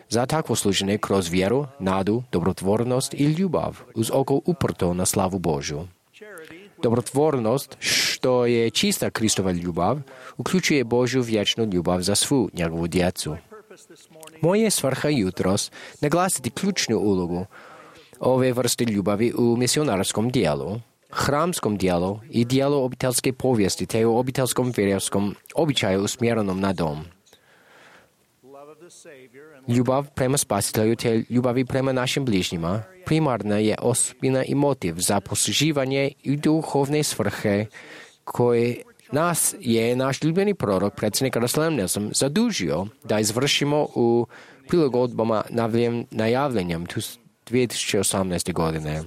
za takvo služenje kroz vjeru, nadu, dobrotvornost i ljubav uz oko uprto na slavu Božju. Dobrotvornost, što je čista Kristova ljubav, uključuje Božju vječnu ljubav za svu njegovu djecu. Moje svrha jutros naglasiti ključnu ulogu ove vrste ljubavi u misionarskom dijelu, hramskom dijelu i dijelu obiteljske povijesti te u obiteljskom vjerskom običaju usmjerenom na dom. Ljubav prema spasitelju te ljubavi prema našim bližnjima primarna je osobina i motiv za posluživanje i duhovne svrhe koje nas je naš ljubljeni prorok, predsjednik Russell Nelson, zadužio da izvršimo u prilagodbama najavljenjem 2018. godine.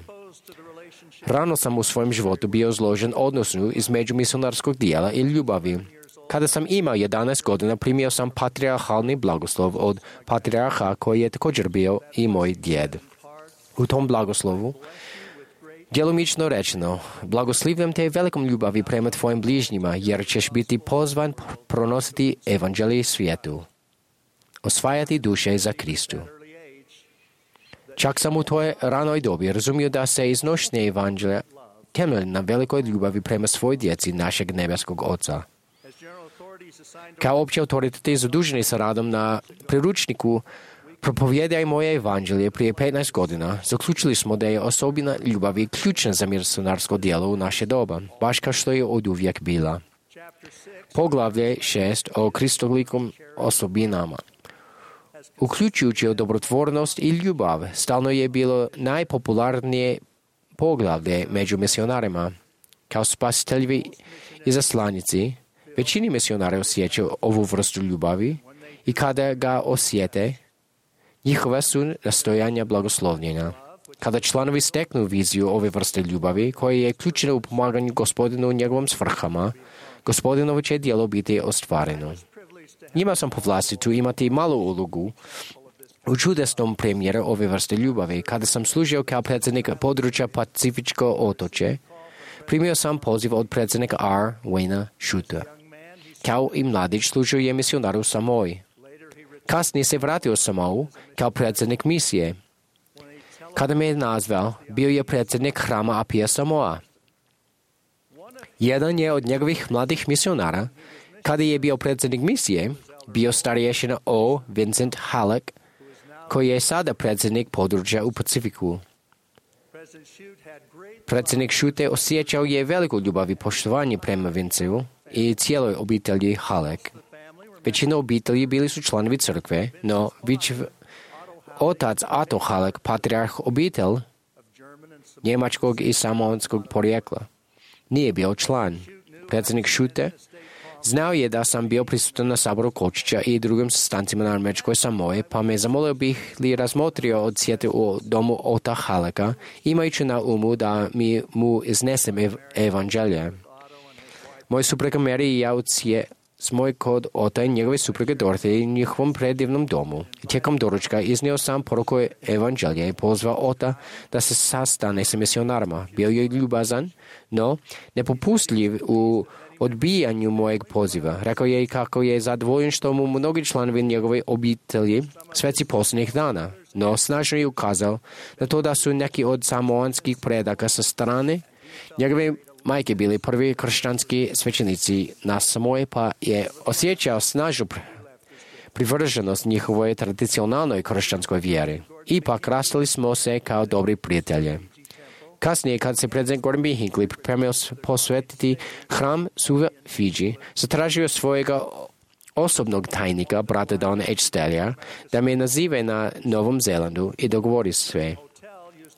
Rano sam u svojem životu bio izložen odnosu između misionarskog dijela i ljubavi. Kada sam imao 11 godina, primio sam patrijarhalni blagoslov od patrijarha koji je također bio i moj djed. U tom blagoslovu, djelomično rečeno, blagoslivljam te velikom ljubavi prema tvojim bližnjima, jer ćeš biti pozvan pronositi evanđelje svijetu, osvajati duše za Kristu. Čak sam u toj ranoj dobi razumio da se iznošenje evanđelja temelji na velikoj ljubavi prema svoj djeci našeg nebeskog Oca. Kao opći autoriteti zaduženi sa radom na priručniku Propovijedaj moje evanđelje prije 15 godina, zaključili smo da je osobina ljubavi ključna za misionarsko djelo u naše doba, baš kao što je oduvijek bila. Poglavlje 6 o kristolikom osobinama. Uključujući dobrotvornost i ljubav, stalno je bilo najpopularnije poglavlje među misionarima. Kao spasitelji i zaslanici, većini misionara osjećaju ovu vrstu ljubavi i kada ga osjete, njihova su nastojanja blagoslovljena. Kada članovi steknu viziju ove vrste ljubavi, koja je ključna u pomaganju Gospodinu u njegovom svrhama, Gospodinovo će djelo biti ostvareno. Njima sam po vlastitu imati malu ulogu U čudesnom premijere ove vrste ljubavi, kada sam služio kao predsjednik područja Pacifičko otoče, primio sam poziv od predsjednika R. Wayna Schuta. Kao i mladić služio je misionar u Samoji. Kasnije se vratio u Samou kao predsjednik misije. Kada me je nazvao, bio je predsjednik hrama Apija Samoa. Jedan je od njegovih mladih misionara, kada je bio predsjednik misije, bio starješina O. Vincent Halleck, koji je sada predsjednik područja u Pacifiku. Predsjednik Šute osjećao je veliku ljubav i poštovanje prema Vincevu i cijeloj obitelji Halleck. Većina obitelji bili su članovi crkve, no otac Otto Halleck, patrijarh obitelj njemačkog i samoanskog porijekla, nije bio član. Predsjednik Šute znao je da sam bio prisutan na saboru Kočića i drugim sastancima na američkoj Samoji, pa me zamolio bih li razmotrio odsjeti u domu Otta Hallecka, imajući na umu da mu iznesem evanđelje. Moj supruga Mary i ja smo kod Ota i njegove supruge Dorothy u njihovom predivnom domu. Tijekom doručka iznio sam poruku evanđelja i pozvao Ota da se sastane sa misionarima. Bio je ljubazan, no nepopustljiv u odbijanju mojeg poziva. Rekao je i kako je zadovoljen što mu mnogi članovi njegove obitelji sveci posljednjih dana, no snažno je ukazao na to da su neki od samoanskih predaka sa strane njegove majke bili prvi kršćanski svećenici na Samoji, pa je osjećao snažnu privrženost njihovoj tradicionalnoj kršćanskoj vjeri. Ipak rastali smo se kao dobri prijatelji. Kasnije, kad se predsjednik Gordon B. Hinckley pripremio posvetiti hram Suva Fiji, zatražio svojega osobnog tajnika, brata Don H. Stelja, da me nazive na Novom Zelandu i dogovori sve.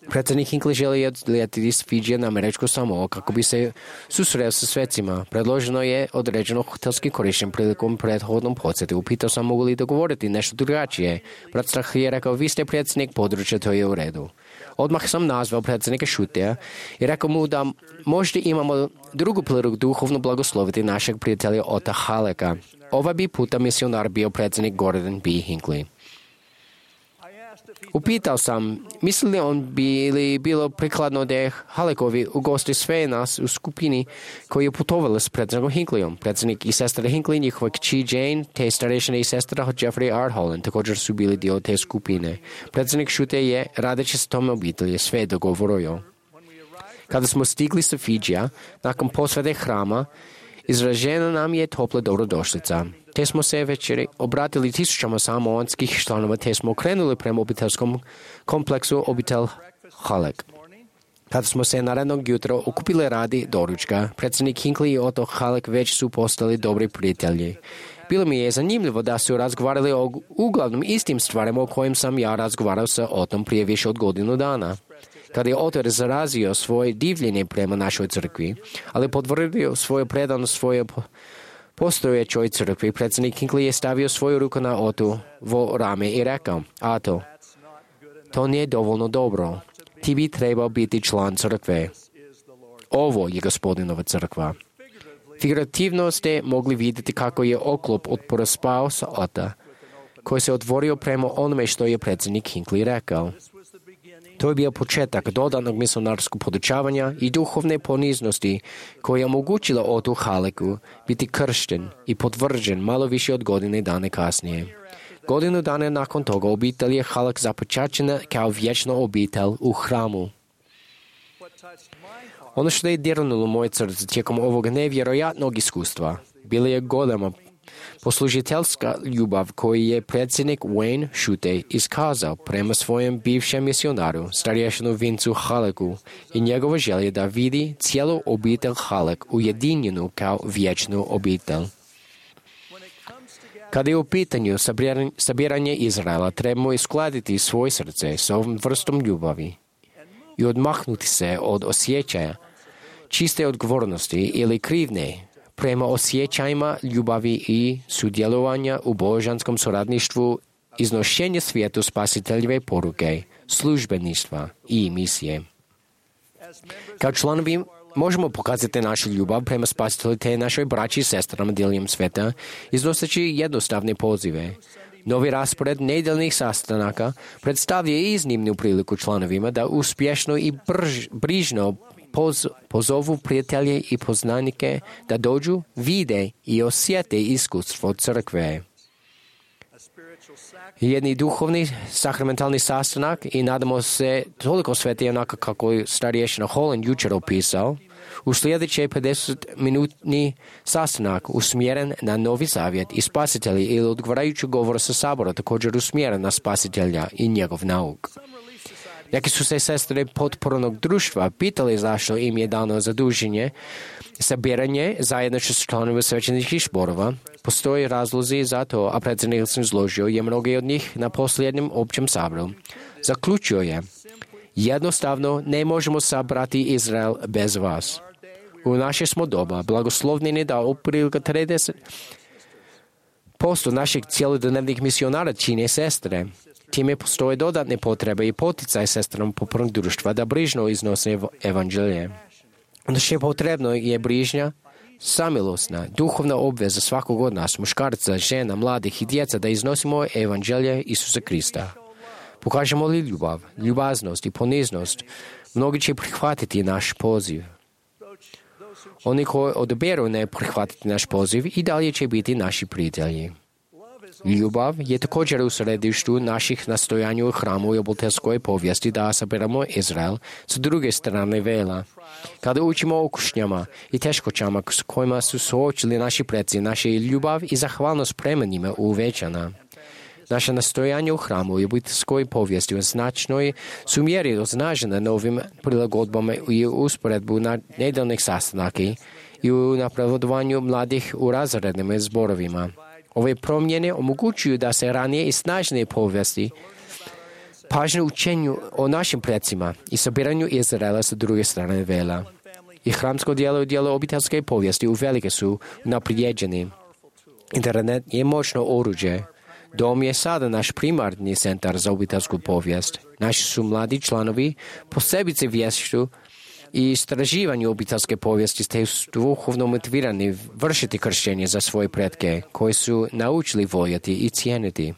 Predsjednik Hinckley želi odletiti s Fidžija na američku Samoa kako bi se susreo sa svecima. Predloženo je određeno hotelski korištenje prilikom prethodnom posjeti. Upitao sam mogu li dogovoriti nešto drugačije. Brat Strah je rekao, vi ste predsjednik područja, to je u redu. Odmah sam nazvao predsjednika Šuteja i rekao mu da možda imamo drugu priliku duhovno blagosloviti našeg prijatelja Otta Hallecka. Ova bi puta misionar bio predsjednik Gordon B. Hinckley. Upitao sam, misli li on bilo prikladno da Halleckovi ugosti sve nas u skupini koji je putovali s predsjednikom Hinkleyom. Predsjednik i sestra Hinckley, njihova kći Jane, te starešine i sestra Jeffrey R. Holland također su bili dio te skupine. Predsjednik Šute je, radeći s tom obitelji, sve dogovorio. Kada smo stigli sa Fidžija, nakon posvete hrama, izražena nam je topla dobrodošlica. Te smo se večeri obratili tisućama samoanskih članova, te smo krenuli prema obiteljskom kompleksu obitelj Halleck. Kada smo se narednog jutra okupili radi doručka, predsjednik Hinckley i Otto Halleck već su postali dobri prijatelji. Bilo mi je zanimljivo da su razgovarali o uglavnom istim stvarima o kojim sam ja razgovarao sa Ottom prije više od godinu dana. Kada je Otto izrazio svoje divljenje prema našoj crkvi, ali potvrdio svoju predanost svoje postojećoj crkvi, predsjednik Hinckley je stavio svoju ruku na Ottovo rame i rekao, Otto, to nije dovoljno dobro. Ti bi trebao biti član crkve. Ovo je Gospodinova crkva. Figurativno ste mogli vidjeti kako je oklop otporospao sa Otta, koji se otvorio prema onome što je predsjednik Hinckley rekao. To je bio početak dodanog misionarskog podučavanja i duhovne poniznosti koja je omogućila Ottu Hallecku biti kršten i potvrđen malo više od godine dana kasnije. Godinu dana nakon toga obitelj je Halleck započačena kao vječna obitelj u hramu. Ono što je dirnulo moje srce tijekom ovog nevjerojatnog iskustva bila je golema poslužiteljska ljubav koju je predsjednik Wayne Shute iskazao prema svojem bivšem misionaru, starješinu Vincu Hallecku, i njegova želja da vidi cijelu obitelj Halleck ujedinjenu kao vječnu obitelj. Kada je u pitanju sabiranje Izraela, trebamo iskladiti svoje srce s ovom vrstom ljubavi i odmahnuti se od osjećaja čiste odgovornosti ili krivne prema osjećajima ljubavi i sudjelovanja u božanskom suradništvu, iznošenje svijetu spasiteljeve poruke, službeništva i misije. Kao članovi možemo pokazati našu ljubav prema spasitelju te našoj braći i sestrama diljem sveta, iznoseći jednostavne pozive. Novi raspored nedeljnih sastanaka predstavlja iznimnu priliku članovima da uspješno i brižno pozovu prijatelje i poznanike da dođu, vide i osjete iskustvo crkve. Jedni duhovni sakramentalni sastanak i nadamo se toliko sveti onako kako je starješina Holland jučer opisao, u sljedeće 50-minutni sastanak usmjeren na Novi Zavjet i spasitelji ili odgovarajući govor sa sabora također usmjeren na spasitelja i njegov nauk. Neki su se sestre potpornog društva pitali zašto im je dano zaduženje, sabiranje zajedno s članovima svećeničkih zborova. Postoje razlozi za to, a predsjednik sam izložio je mnogi od njih na posljednjem općem saboru. Zaključio je, jednostavno ne možemo sabrati Izrael bez vas. U naše smo doba blagoslovljeni da otprilike 30% naših cjelodnevnih misionara čine sestre. Time postoje dodatne potrebe i poticaj sestrama potpornog društva da brižno iznose evanđelje. Ono što je potrebno je brižnja, samilosna, duhovna obveza svakog od nas, muškarca, žena, mladih i djeca da iznosimo evanđelje Isusa Krista. Pokažemo li ljubav, ljubaznost i poniznost, mnogi će prihvatiti naš poziv. Oni koji odaberu ne prihvatiti naš poziv i dalje će biti naši prijatelji. Ljubav je također u središtu naših nastojanja u hramu i obiteljskoj povijesti da sabiramo Izrael s druge strane vela. Kada učimo o kušnjama i teškoćama s kojima su suočili naši preci, naša ljubav i zahvalnost prema njima uvećana. Naše nastojanje u hramu i obiteljskoj povijesti u značnoj su mjeri označena novim prilagodbama i usporedbu na nedeljnih sastanaka i u napredovanju mladih u razrednim zborovima. Ove promjene omogućuju da se ranije i snažnije povijesti pažnju učenju o našim precima i sabiranju Izraela sa druge strane vela. I hramsko djelo i djelo obiteljske povijesti uvelike su naprijeđeni. Internet je moćno oruđe. Dom je sada naš primarni centar za obiteljsku povijest. Naši su mladi članovi posebice vješću i istraživanju obiteljske povijesti ste duhovno motivirani vršiti kršćenje za svoje pretke koji su naučili voljeti i cijeniti.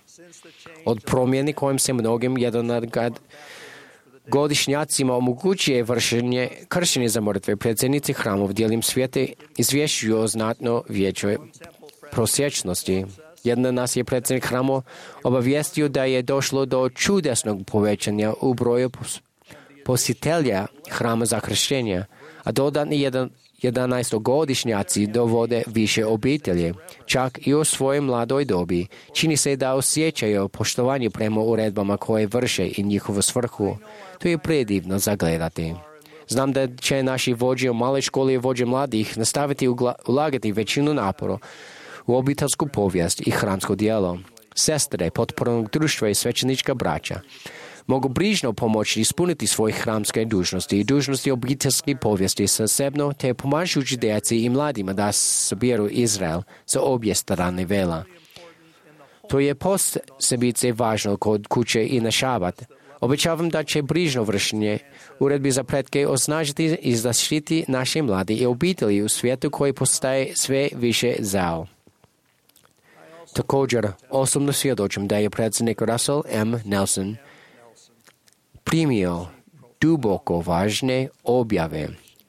Od promjeni kojim se mnogim godišnjacima omogućuje vršenje kršćenja za mrtve, predsjednici hramov dijelim svijete izvješćuju o znatno većoj prosječnosti. Jedan nas je predsjednik hramo obavijestio da je došlo do čudesnog povećanja u broju posjetitelja hrama za kršćenje, a dodatni 11-godišnjaci dovode više obitelji. Čak i u svojoj mladoj dobi čini se da osjećaju poštovanje prema uredbama koje vrše i njihovu svrhu. To je predivno zagledati. Znam da će naši vođe u maloj školi i vođe mladih nastaviti ulagati većinu napora u obiteljsku povijest i hramsko djelo. Sestre, potpornog društva i svećenička braća mogu brižno pomoći ispuniti svoje hramske dužnosti i dužnosti obiteljske povijesti zasebno te pomažući djeci i mladima da sabiru Izrael sa obje strane vela. To je posebice važno kod kuće i na šabat. Obećavam da će brižno vršenje uredbi za pretke osnažiti i zaštiti naše mlade i obitelji u svijetu koji postaje sve više zao. Također, osobno svjedočim da je predsjednik Russell M. Nelson primio duboko važne objave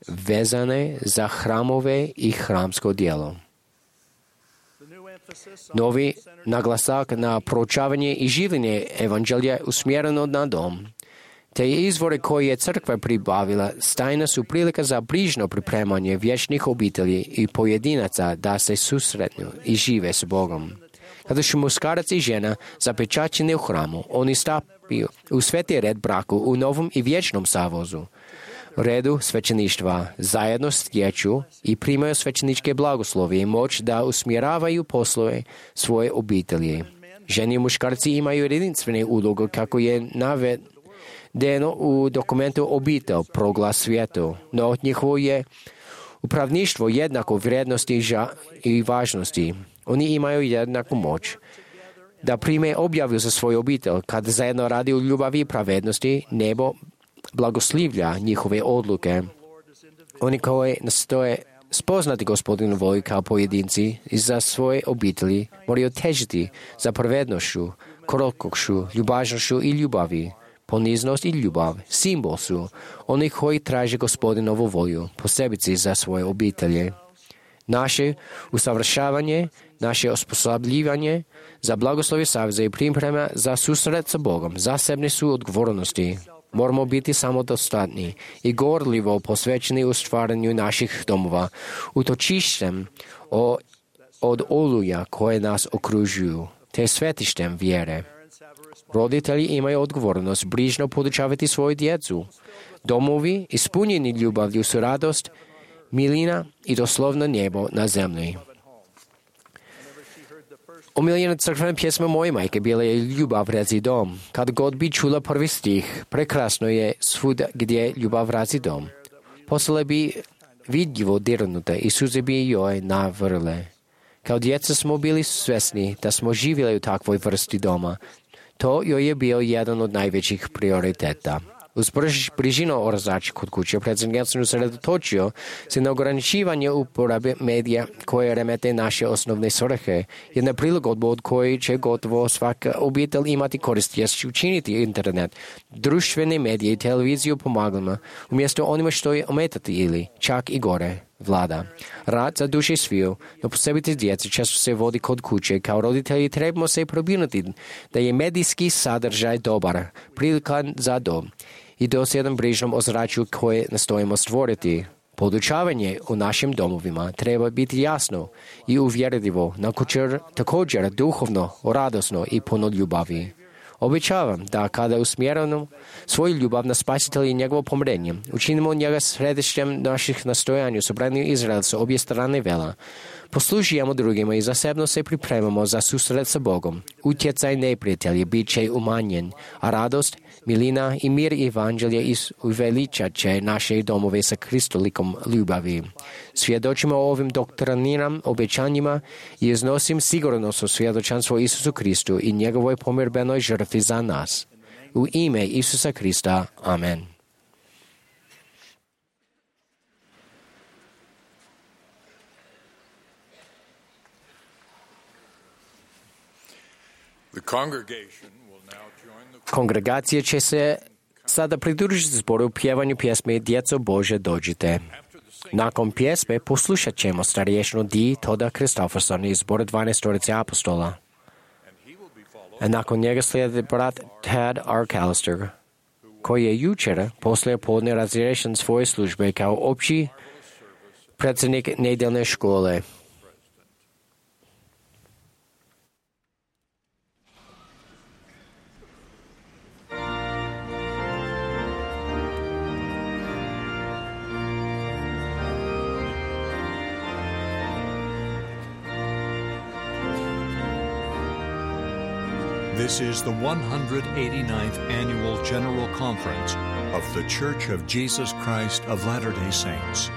vezane za hramove i hramsko djelo. Novi naglasak na proučavanje i življenje evanđelja usmjereno na dom, te izvore koje je crkva pribavila stajna su prilika za brižno pripremanje vječnih obitelji i pojedinaca da se susretnu i žive s Bogom. Kada su muškarac i žena zapečaćeni u hramu, oni stapaju u sveti red braku u novom i vječnom savozu. Redu svećeništva zajedno stječu i primaju svećeničke blagoslove i moć da usmjeravaju poslove svoje obitelji. Žene i muškarci imaju jedinstvene uloge kako je navedeno u dokumentu obitelj proglas svijetu, no njihovo je upravništvo jednako vrijednosti i važnosti. Oni imaju jednaku moć da prime objavu za svoju obitelj. Kad zajedno radi u ljubavi i pravednosti, nebo blagoslivlja njihove odluke. Oni koji nastoje spoznati Gospodinu volju kao pojedinci i za svoje obitelji moraju težiti za pravednošću, krotkošću, ljubaznošću i ljubavi. Poniznost i ljubav simbol su oni koji traže Gospodinovu volju, posebice za svoje obitelji. Naše usavršavanje, naše osposobljivanje za blagoslovje saveza i priprema za susret sa Bogom zasebne su odgovornosti. Moramo biti samodostatni i gorljivo posvećeni u stvaranju naših domova, utočištem od oluja koje nas okružuju, te svetištem vjere. Roditelji imaju odgovornost brižno podučavati svoju djecu. Domovi ispunjeni ljubavlju su radost, milina i doslovno nebo na zemlji. Omiljena crkvena pjesma moje majke bila je Ljubav razi dom. Kad god bi čula prvi stih, prekrasno je svuda gdje ljubav razi dom. Postala bi vidljivo dirnuta i suze bi joj navrle. Kao djeca smo bili svjesni da smo živjeli u takvoj vrsti doma. To joj je bio jedan od najvećih prioriteta. Uz bližinu orazača kod kuće, predsjednik se usredotočio se na ograničivanje uporabe medija koje remete naše osnovne svrhe. Jedna prilagodba od koje će gotovo svaka obitelj imati korist jest učiniti internet, društvene medije i televiziju pomagama, umjesto onima što je ometati ili, čak i gore, vlada. Rad za duše sviju, no posebite djece često se vodi kod kuće. Kao roditelji trebamo se probinuti da je medijski sadržaj dobar, prilikan za dom i dosljedan brižnom ozračju koje nastojimo stvoriti. Podučavanje u našim domovima treba biti jasno i uvjerljivo, također duhovno, radosno i puno ljubavi. Obećavam da kada usmjerimo svoju ljubav na Spasitelja i njegovo pomirenje, učinimo njega središtem naših nastojanja u sobranju Izraela sa obje strane vela, poslužujemo drugima i zasebno se pripremamo za susret sa Bogom. Utjecaj neprijatelja bit će umanjen, a radost, milina i mir evanđelja uveličat će naše domove sa kristolikom ljubavi. Svjedočimo o ovim doktrinarnim obećanjima i iznosim sigurnosno svjedočanstvo Isusu Kristu i njegovoj pomirbenoj žrtvi za nas. U ime Isusa Krista. Amen. Kongregacija će se sada pridružiti zboru u pjevanju pjesme Djeco Bože dođite. Nakon pjesme poslušat ćemo starješnu Di Toda Kristofferson iz zbora 12 apostola. A nakon njega slijedi brat Tad Arcalister, koji je jučer poslije podne razriješen svoje službe kao opći predsjednik nedjeljne škole. This is the 189th Annual General Conference of The Church of Jesus Christ of Latter-day Saints.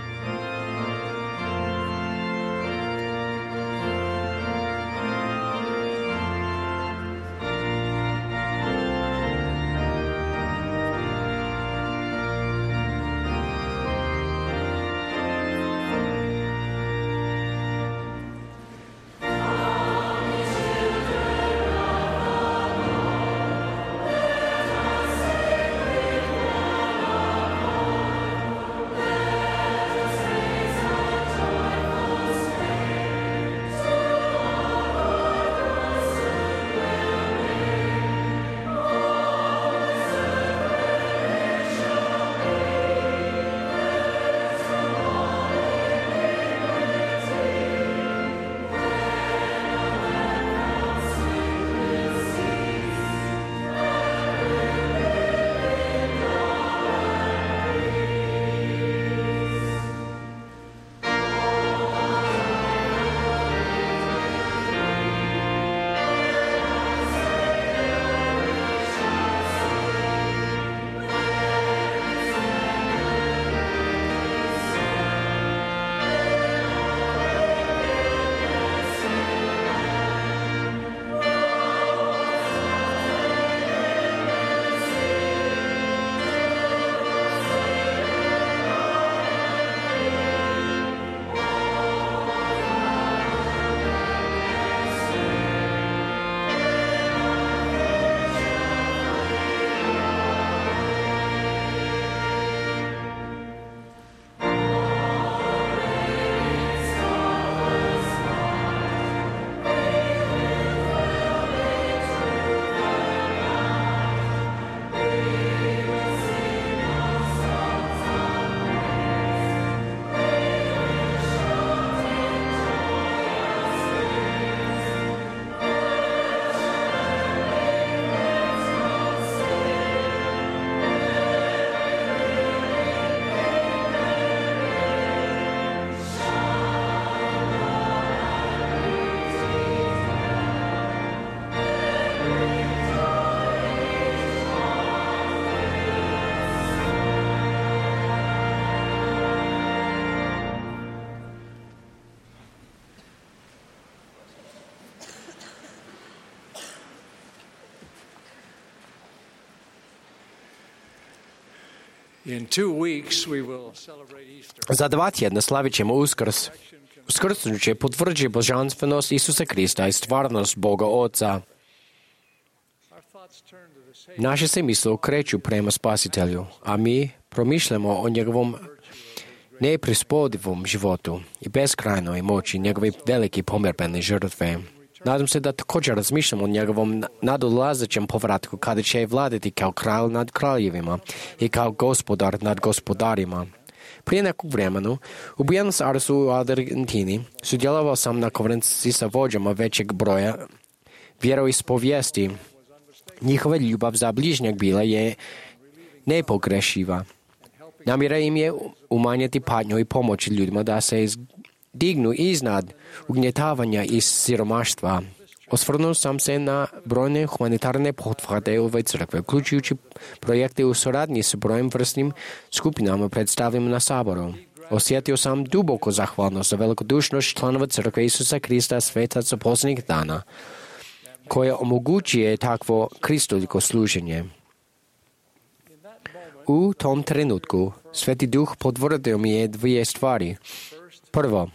In 2 weeks we will celebrate Easter. За 2 tjedna slavit ćemo Uskrs. Uskrsnuće potvrđuje božanstvenost Isusa Krista i stvarnost Boga Oca. Naše se misle okreću prema Spasitelju, a mi promišljamo o njegovom neprispodivom životu i beskrajnoj moći njegove velike pomirbene žrtve. Nadam se da također razmišljamo o njegovom nadolazećem povratku kada će vladati kao kralj nad kraljevima i kao gospodar nad gospodarima. Prije nekog vremena u Buenos Airesu u Argentini sudjelovao sam na konferenciji sa vođama većeg broja vjeroispovijesti. Njihova ljubav za bližnjeg bila je nepogrešiva. Namjera im je umanjiti patnju i pomoći ljudima da se dignu iznad ugnjetavanja i siromaštva. Osvrnuo sam se na brojne humanitarne pothvate ove crkve, uključujući projekte u suradnji s brojnim vrstnim skupinama predstavljenim na Saboru. Osjetio sam duboku zahvalnost za velikodušnost članova crkve Isusa Krista svetaca posljednjih dana, koje omogućuje takvo kristoliko služenje. U tom trenutku Sveti Duh potvrdio mi je 2 stvari. Prvo,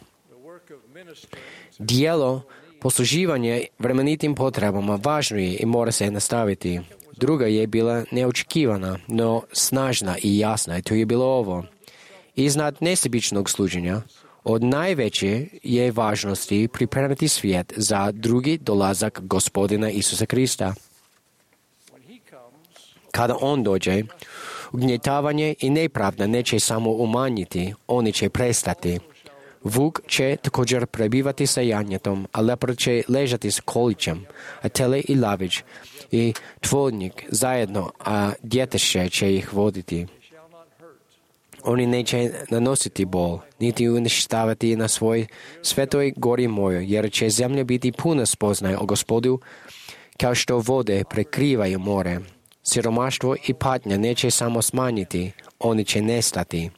dijelo posluživanje vremenitim potrebama važno je i mora se nastaviti. Druga je bila neočekivana, no snažna i jasna, i to je bilo ovo. Iznad nesebičnog služenja, od najveće je važnosti pripremiti svijet za drugi dolazak Gospodina Isusa Krista. Kada On dođe, ugnjetavanje i nepravda neće samo umanjiti, oni će prestati. Vuk će također prebivati sa janjetom, a lepar će ležati s kolićem, a tele i lavić i tvornik zajedno, a djeteše će ih voditi. Oni neće nanositi bol, niti uništavati na svoj svetoj gori mojoj, jer će zemlja biti puna spoznaje o Gospodu, kao što vode prekrivaju more. Siromaštvo i patnja neće samo smanjiti, oni će nestati.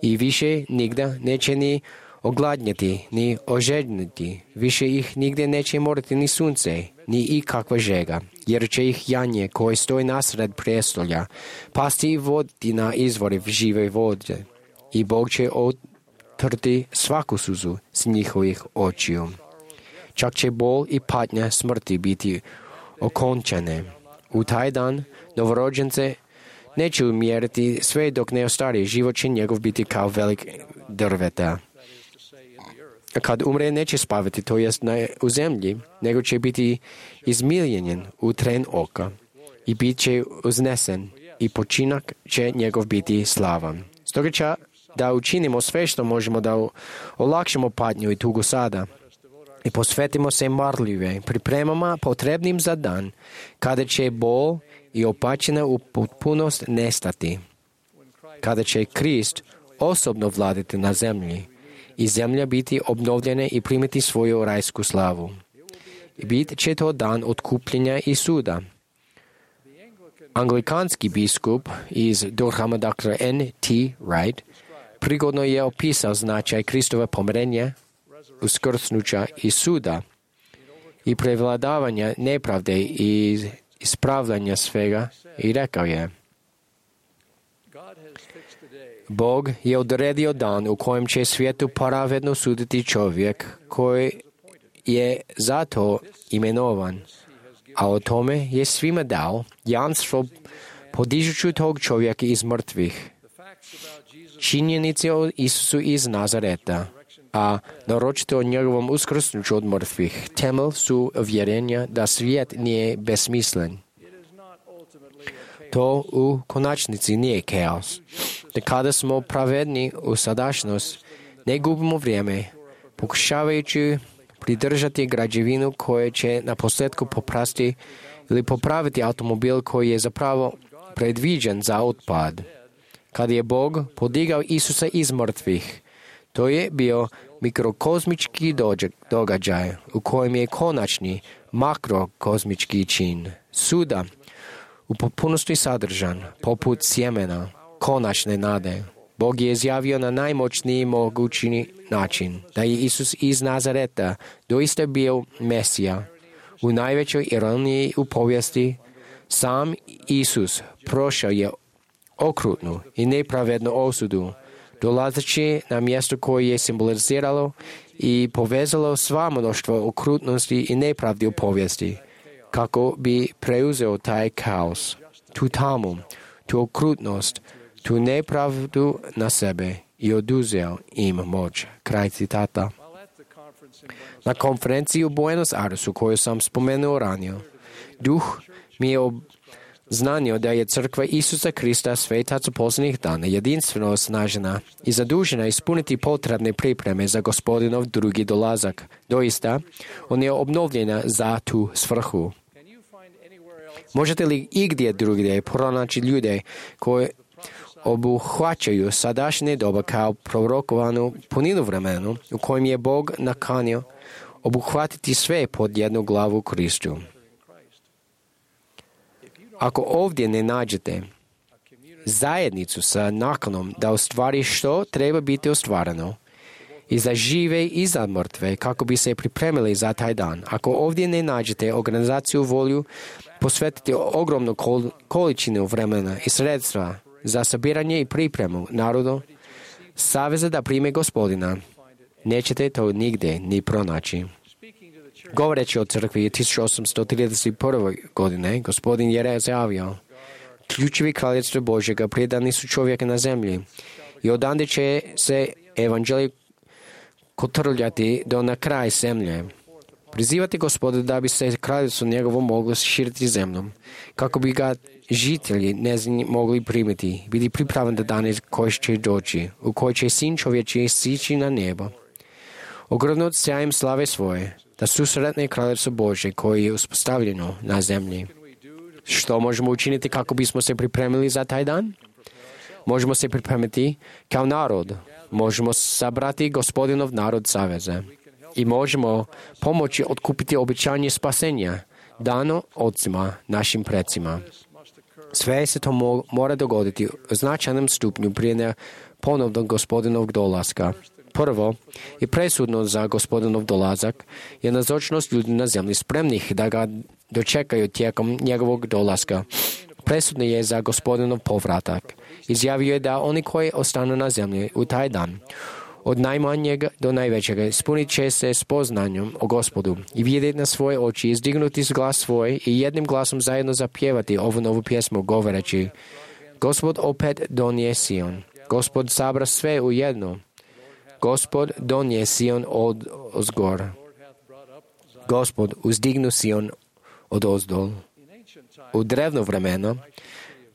I više nigda neće ni ogladnjati, ni ožedniti. Više ih nigdje neće morati ni sunce, ni ikakva žega, jer će ih janje koje stoji nasred prijestolja pasti i voditi na izvori žive vode. I Bog će otrti svaku suzu s njihovih očiju. Čak će bol i patnja smrti biti okončane. U taj dan novorođence neće umjeriti sve dok ne ostari, život će njegov biti kao velik drveta. Kad umre neće spavati, to jest u zemlji, nego će biti izmiljenjen u tren oka i bit će uznesen i počinak će njegov biti slavan. Stoga će da učinimo sve što možemo da olakšamo patnju i tugu sada i posvetimo se marljive pripremama potrebnim za dan kada će bol i opačina u potpunost nestati, kada će Krist osobno vladati na zemlji i zemlja biti obnovljena i primiti svoju rajsku slavu. I bit će to dan otkupljenja i suda. Anglikanski biskup iz Durhama, dr. N.T. Wright, prigodno je opisao značaj Kristove pomirenja, uskrsnuća i suda i prevladavanja nepravde i ispravljanja svega i rekao je: Bog je odredio dan u kojem će svijetu pravedno suditi čovjek koji je za to imenovan, a o tome je svima dao jamstvo podižući tog čovjeka iz mrtvih. Činjenice o Isusu iz Nazareta, a naročito o njegovom uskrsnuću od mrtvih, temelj su uvjerenja da svijet nije besmislen. To u konačnici nije kaos. Da kada smo pravedni u sadašnjost, ne gubimo vrijeme, pokušavajući pridržati građevinu koja će na posljedku poprasti ili popraviti automobil koji je zapravo predviđen za otpad. Kada je Bog podigao Isusa iz mrtvih, to je bio mikrokozmički događaj u kojem je konačni makrokozmički čin suda u potpunosti sadržan, poput sjemena, konačne nade. Bog je izjavio na najmoćniji mogući način da je Isus iz Nazareta doista bio Mesija. U najvećoj ironiji u povijesti, sam Isus prošao je okrutnu i nepravednu osudu, dolazeći na mjesto koje je simboliziralo i povezalo sva mnoštvo okrutnosti i nepravdi u povijesti, kako bi preuzeo taj kaos, tu tamu, tu okrutnost, tu nepravdu na sebe i oduzeo im moć. Kraj citata. Na konferenciji u Buenos Airesu, koju sam spomenuo ranije, Duh mi je obznanio da je crkva Isusa Krista svetaca posljednjih dana jedinstveno osnažena i zadužena ispuniti potrebne pripreme za Gospodinov drugi dolazak. Doista, on je obnovljena za tu svrhu. Možete li igdje drugdje pronaći ljude koji obuhvaćaju sadašnje doba kao prorokovanu puninu vremenu u kojem je Bog nakanio obuhvatiti sve pod jednu glavu Kristu? Ako ovdje ne nađete zajednicu sa nakanom da ostvari što treba biti ostvareno, i za žive i za mrtve, kako bi se pripremili za taj dan, ako ovdje ne nađete organizaciju volju posvetiti ogromnu količinu vremena i sredstva za sabiranje i pripremu narodu saveza da prime Gospodina, nećete to nigdje ni pronaći. Govoreći o crkvi 1831. godine, Gospodin je izjavio: ključevi kraljevstva Božjega predani su čovjeka na zemlji i odande će se evanđelje kotrljati do na kraj zemlje. Prizivati Gospoda da bi se kraljevstvo njegovo moglo širiti zemljom, kako bi ga žitelji njezini mogli primiti, biti pripravan da dane koji će doći, u koji će sin čovječiji sići na nebo. Ogrnut sjajem slave svoje, da susretne kraljevstvo Božje koje je uspostavljeno na zemlji. Što možemo učiniti kako bismo se pripremili za taj dan? Možemo se pripremiti kao narod. Možemo sabrati Gospodinov narod saveza. I možemo pomoći otkupiti obećanje spasenja, dano ocima, našim precima. Sve se to mora dogoditi u značajnom stupnju prije ponovnog Gospodinovog dolaska. Prvo i presudno za Gospodinov dolazak je nazočnost ljudi na zemlji spremnih da ga dočekaju tijekom njegovog dolaska. Presudno je za Gospodinov povratak. Izjavio je da oni koji ostanu na zemlji u taj dan, od najmanjeg do najvećega, ispunit će se spoznanjem o Gospodu i vidjeti na svoje oči, izdignuti glas svoj i jednim glasom zajedno zapjevati ovu novu pjesmu, govoreći: Gospod opet donije Sion. Gospod sabra sve u jedno. Gospod donije Sion od ozgor. Gospod uzdignu Sion od ozdol. U drevno vremeno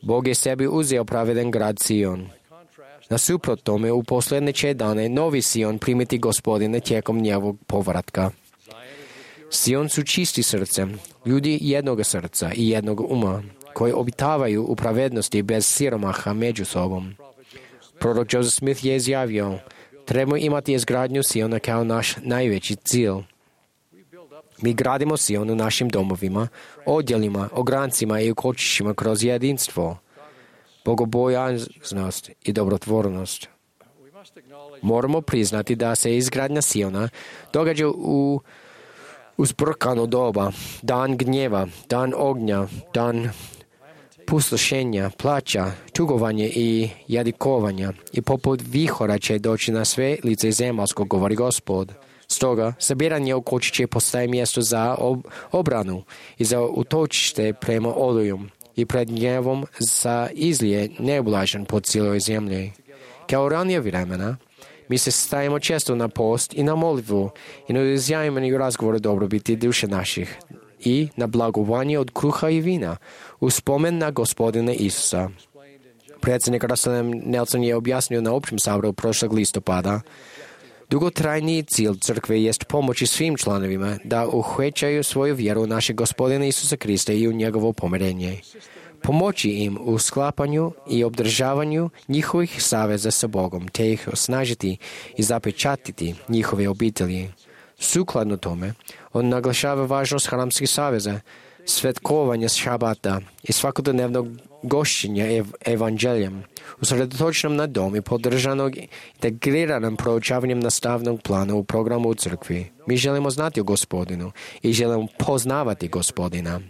Bog je sebi uzeo pravedan grad Sion. Nasuprot tome, u posljednje će dane novi Sion primiti Gospodine tijekom njegovog povratka. Sion su čisti srcem, ljudi jednog srca i jednog uma, koji obitavaju u pravednosti bez siromaha među sobom. Prorok Joseph Smith je izjavio: trebamo imati izgradnju Siona kao naš najveći cilj. Mi gradimo Sion u našim domovima, odjelima, ograncima i ukočišćima kroz jedinstvo, bogobojaznost i dobrotvornost. Moramo priznati da se izgradnja Siona događa u uzburkano doba, dan gnjeva, dan ognja, dan pustošenja, plaća, tugovanja i jadikovanja, i poput vihora će doći na sve lice zemaljsko, govori Gospod. Stoga, sabiranje u kočiće postaje mjesto za obranu i za utočište prema olujom i pred gnjevom za izlije neblažen po cijeloj zemlji. Kao ranije vremena, mi se stajemo često na post i na molitvu i na izjavljeni razgovor o dobrobiti duše naših i na blagovanje od kruha i vina u spomen na Gospodina Isusa. Predsjednik Russell Nelson je objasnio na općem saboru prošlog listopada: dugotrajni cilj crkve jest pomoći svim članovima da uhvećaju svoju vjeru u našeg Gospodina Isusa Krista i u njegovo pomirenje. Pomoći im u sklapanju i obdržavanju njihovih saveza sa Bogom, te ih osnažiti i zapečatiti njihove obitelji. Sukladno tome, on naglašava važnost hramskih saveza, svetkovanja šabata i svakodnevnog gošćenja evanđeljem, usredotočenom na dom i podržanog integriranom proučavanjem nastavnog plana u programu u crkvi. Mi želimo znati o Gospodinu i želimo poznavati Gospodina.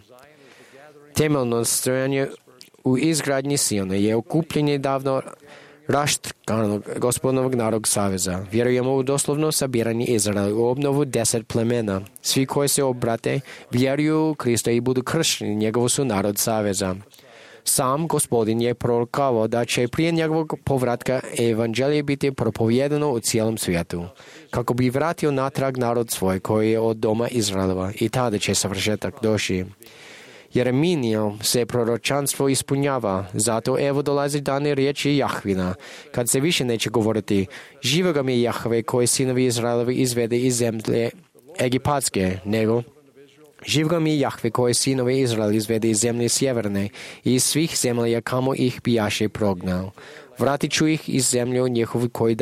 Temeljno nastojanje u izgradnji Siona je okupljenje davno raštrkanog gospodinovog narodnog saveza. Vjerujemo u doslovno sabiranje Izraela, u obnovu 10 plemena. Svi koji se obrate, vjeruju u Krista i budu kršteni, njegovo su narod saveza. Sam Gospodin je prorokavao da će prije njegovog povratka evanđelje biti propovijedano u cijelom svijetu, kako bi vratio natrag narod svoj koji je od doma Izraelova, i tada će savršetak doći. Jereminijev se proročanstvo ispunjava, zato evo dolazi dane riječi Jahvina, kad se više neće govoriti: živoga mi je Jahve koji sinovi Izraelovi izvede iz zemlje egipatske, nego živoga mi je Jahve koji sinovi Izrael izvede iz zemlje sjeverne i iz svih zemalja kamo ih bijaše prognao. Vratit ću ih iz zemlje njihovu koju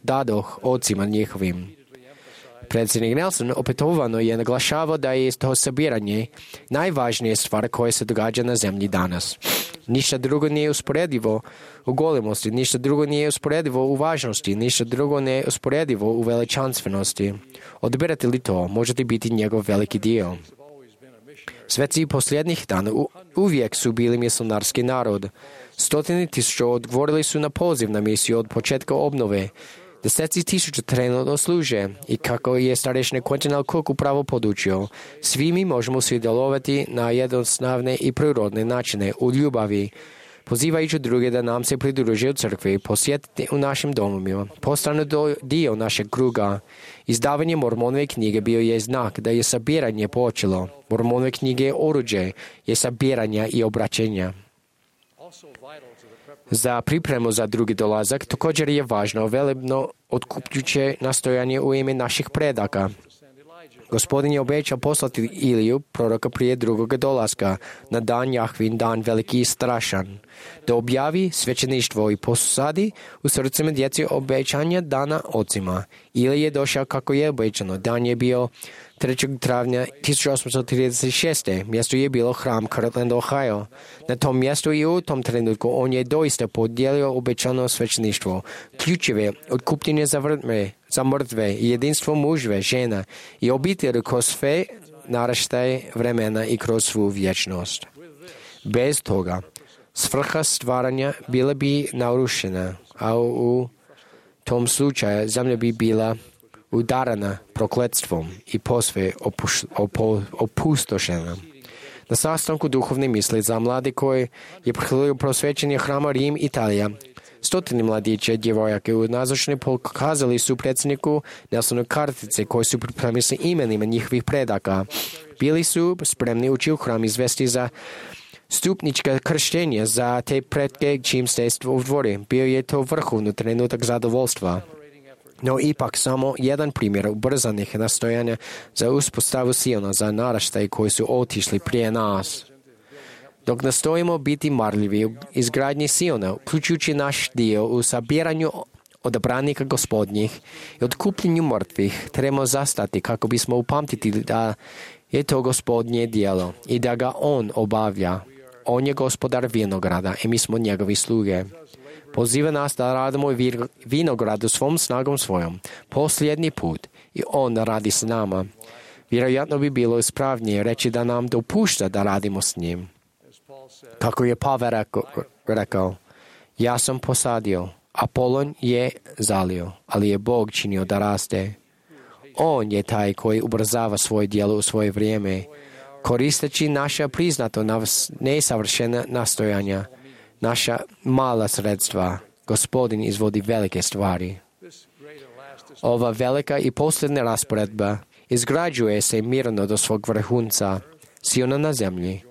dadoh ocima njihovim. Predsjednik Nelson opetovano je naglašavao da je to sabiranje najvažnija stvar koja se događa na zemlji danas. Ništa drugo nije usporedivo u golemosti, ništa drugo nije usporedivo u važnosti, ništa drugo nije usporedivo u veličanstvenosti. Odbirate li to, možete biti njegov veliki dio. Sveci posljednjih dana uvijek su bili misionarski narod. 100.000 odgovorili su na poziv na misiju od početka obnove. 10.000 trenutno služe i kako je starešni Quentin L. Cook upravo podučio, svi mi možemo sudjelovati na jednostavne i prirodne načine u ljubavi, pozivajući druge da nam se pridruže u crkvi, posjetiti u našim domovima, postanu dio našeg kruga. Izdavanje Mormonove knjige bio je znak da je sabiranje počelo. Mormonove knjige je oruđe, je sabiranja i obraćenja. Za pripremu za drugi dolazak također je važno velebno otkupljuće nastojanje u ime naših predaka. Gospodin je obećao poslati Iliju, proroka prije drugoga dolaska, na dan Jahvin, dan veliki i strašan, da objavi svećeništvo i posadi u srcima djeci obećanja dana ocima. Ili je došao kako je obećano. Dan je bio 3. travnja 1836. Mjesto je bilo hram Kirtland, Ohio. Na tom mjestu i u tom trenutku on je doista podijelio obećano svećeništvo, ključeve otkupljenje za mrtve i jedinstvo mužve, žena i obitelji kroz sve naraštaje vremena i kroz svu vječnost. Bez toga, svrha stvaranja bila bi narušena, a u tom slučaju zemlja bi bila udarana prokletstvom i posve opustošena. Na sastanku duhovne misli za mlade koji je prihvatio prosvećenje hrama Rim, Italija, 100 mladića i djevojaka u nazočni pokazali su predsjedniku Nelsonu kartice koje su pripremili sa imenima njihovih predaka. Bili su spremni ući u hram izvesti za stupnička krštenja za te pretke čim ste u dvori. Bio je to vrhovni trenutak zadovoljstva. No ipak samo jedan primjer ubrzanih nastojanja za uspostavu Siona za naraštaj koji su otišli prije nas. Dok nastojimo biti marljivi u izgradnji Siona, uključujući naš dio u sabiranju odabranika gospodnjih i otkupljenju mrtvih, trebamo zastati kako bismo upamtiti da je to gospodnje djelo i da ga on obavlja. On je gospodar vinograda i mi smo njegovi sluge. Poziva nas da radimo vinogradu svom snagom svojom, posljednji put, i on radi s nama. Vjerojatno bi bilo ispravnije reći da nam dopušta da radimo s njim. Kako je Pavel rekao, ja sam posadio, Apolon je zalio, ali je Bog činio da raste. On je taj koji ubrzava svoje djelo u svoje vrijeme, koristeći naša priznato nesavršena nastojanja, naša mala sredstva. Gospodin izvodi velike stvari. Ova velika i posljedna rasporedba izgrađuje se mirno do svog vrhunca, Siona na zemlji,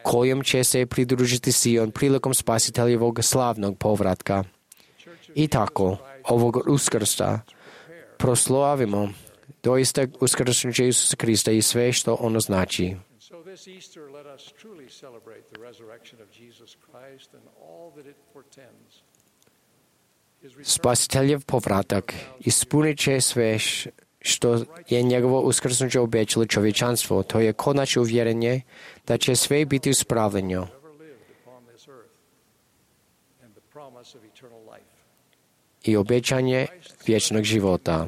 kojom će se pridružiti Sion prilikom Spasiteljevog slavnog povratka. I tako, ovog Uskrsa proslavimo doista uskrsnuće Isusa Krista i sve što ono znači. Spasiteljev povratak ispunit će sve što je njegovo uskrsnuće obećalo čovječanstvo. To je konačno uvjerenje da će sve biti uspravljeno. I obećanje vječnog života.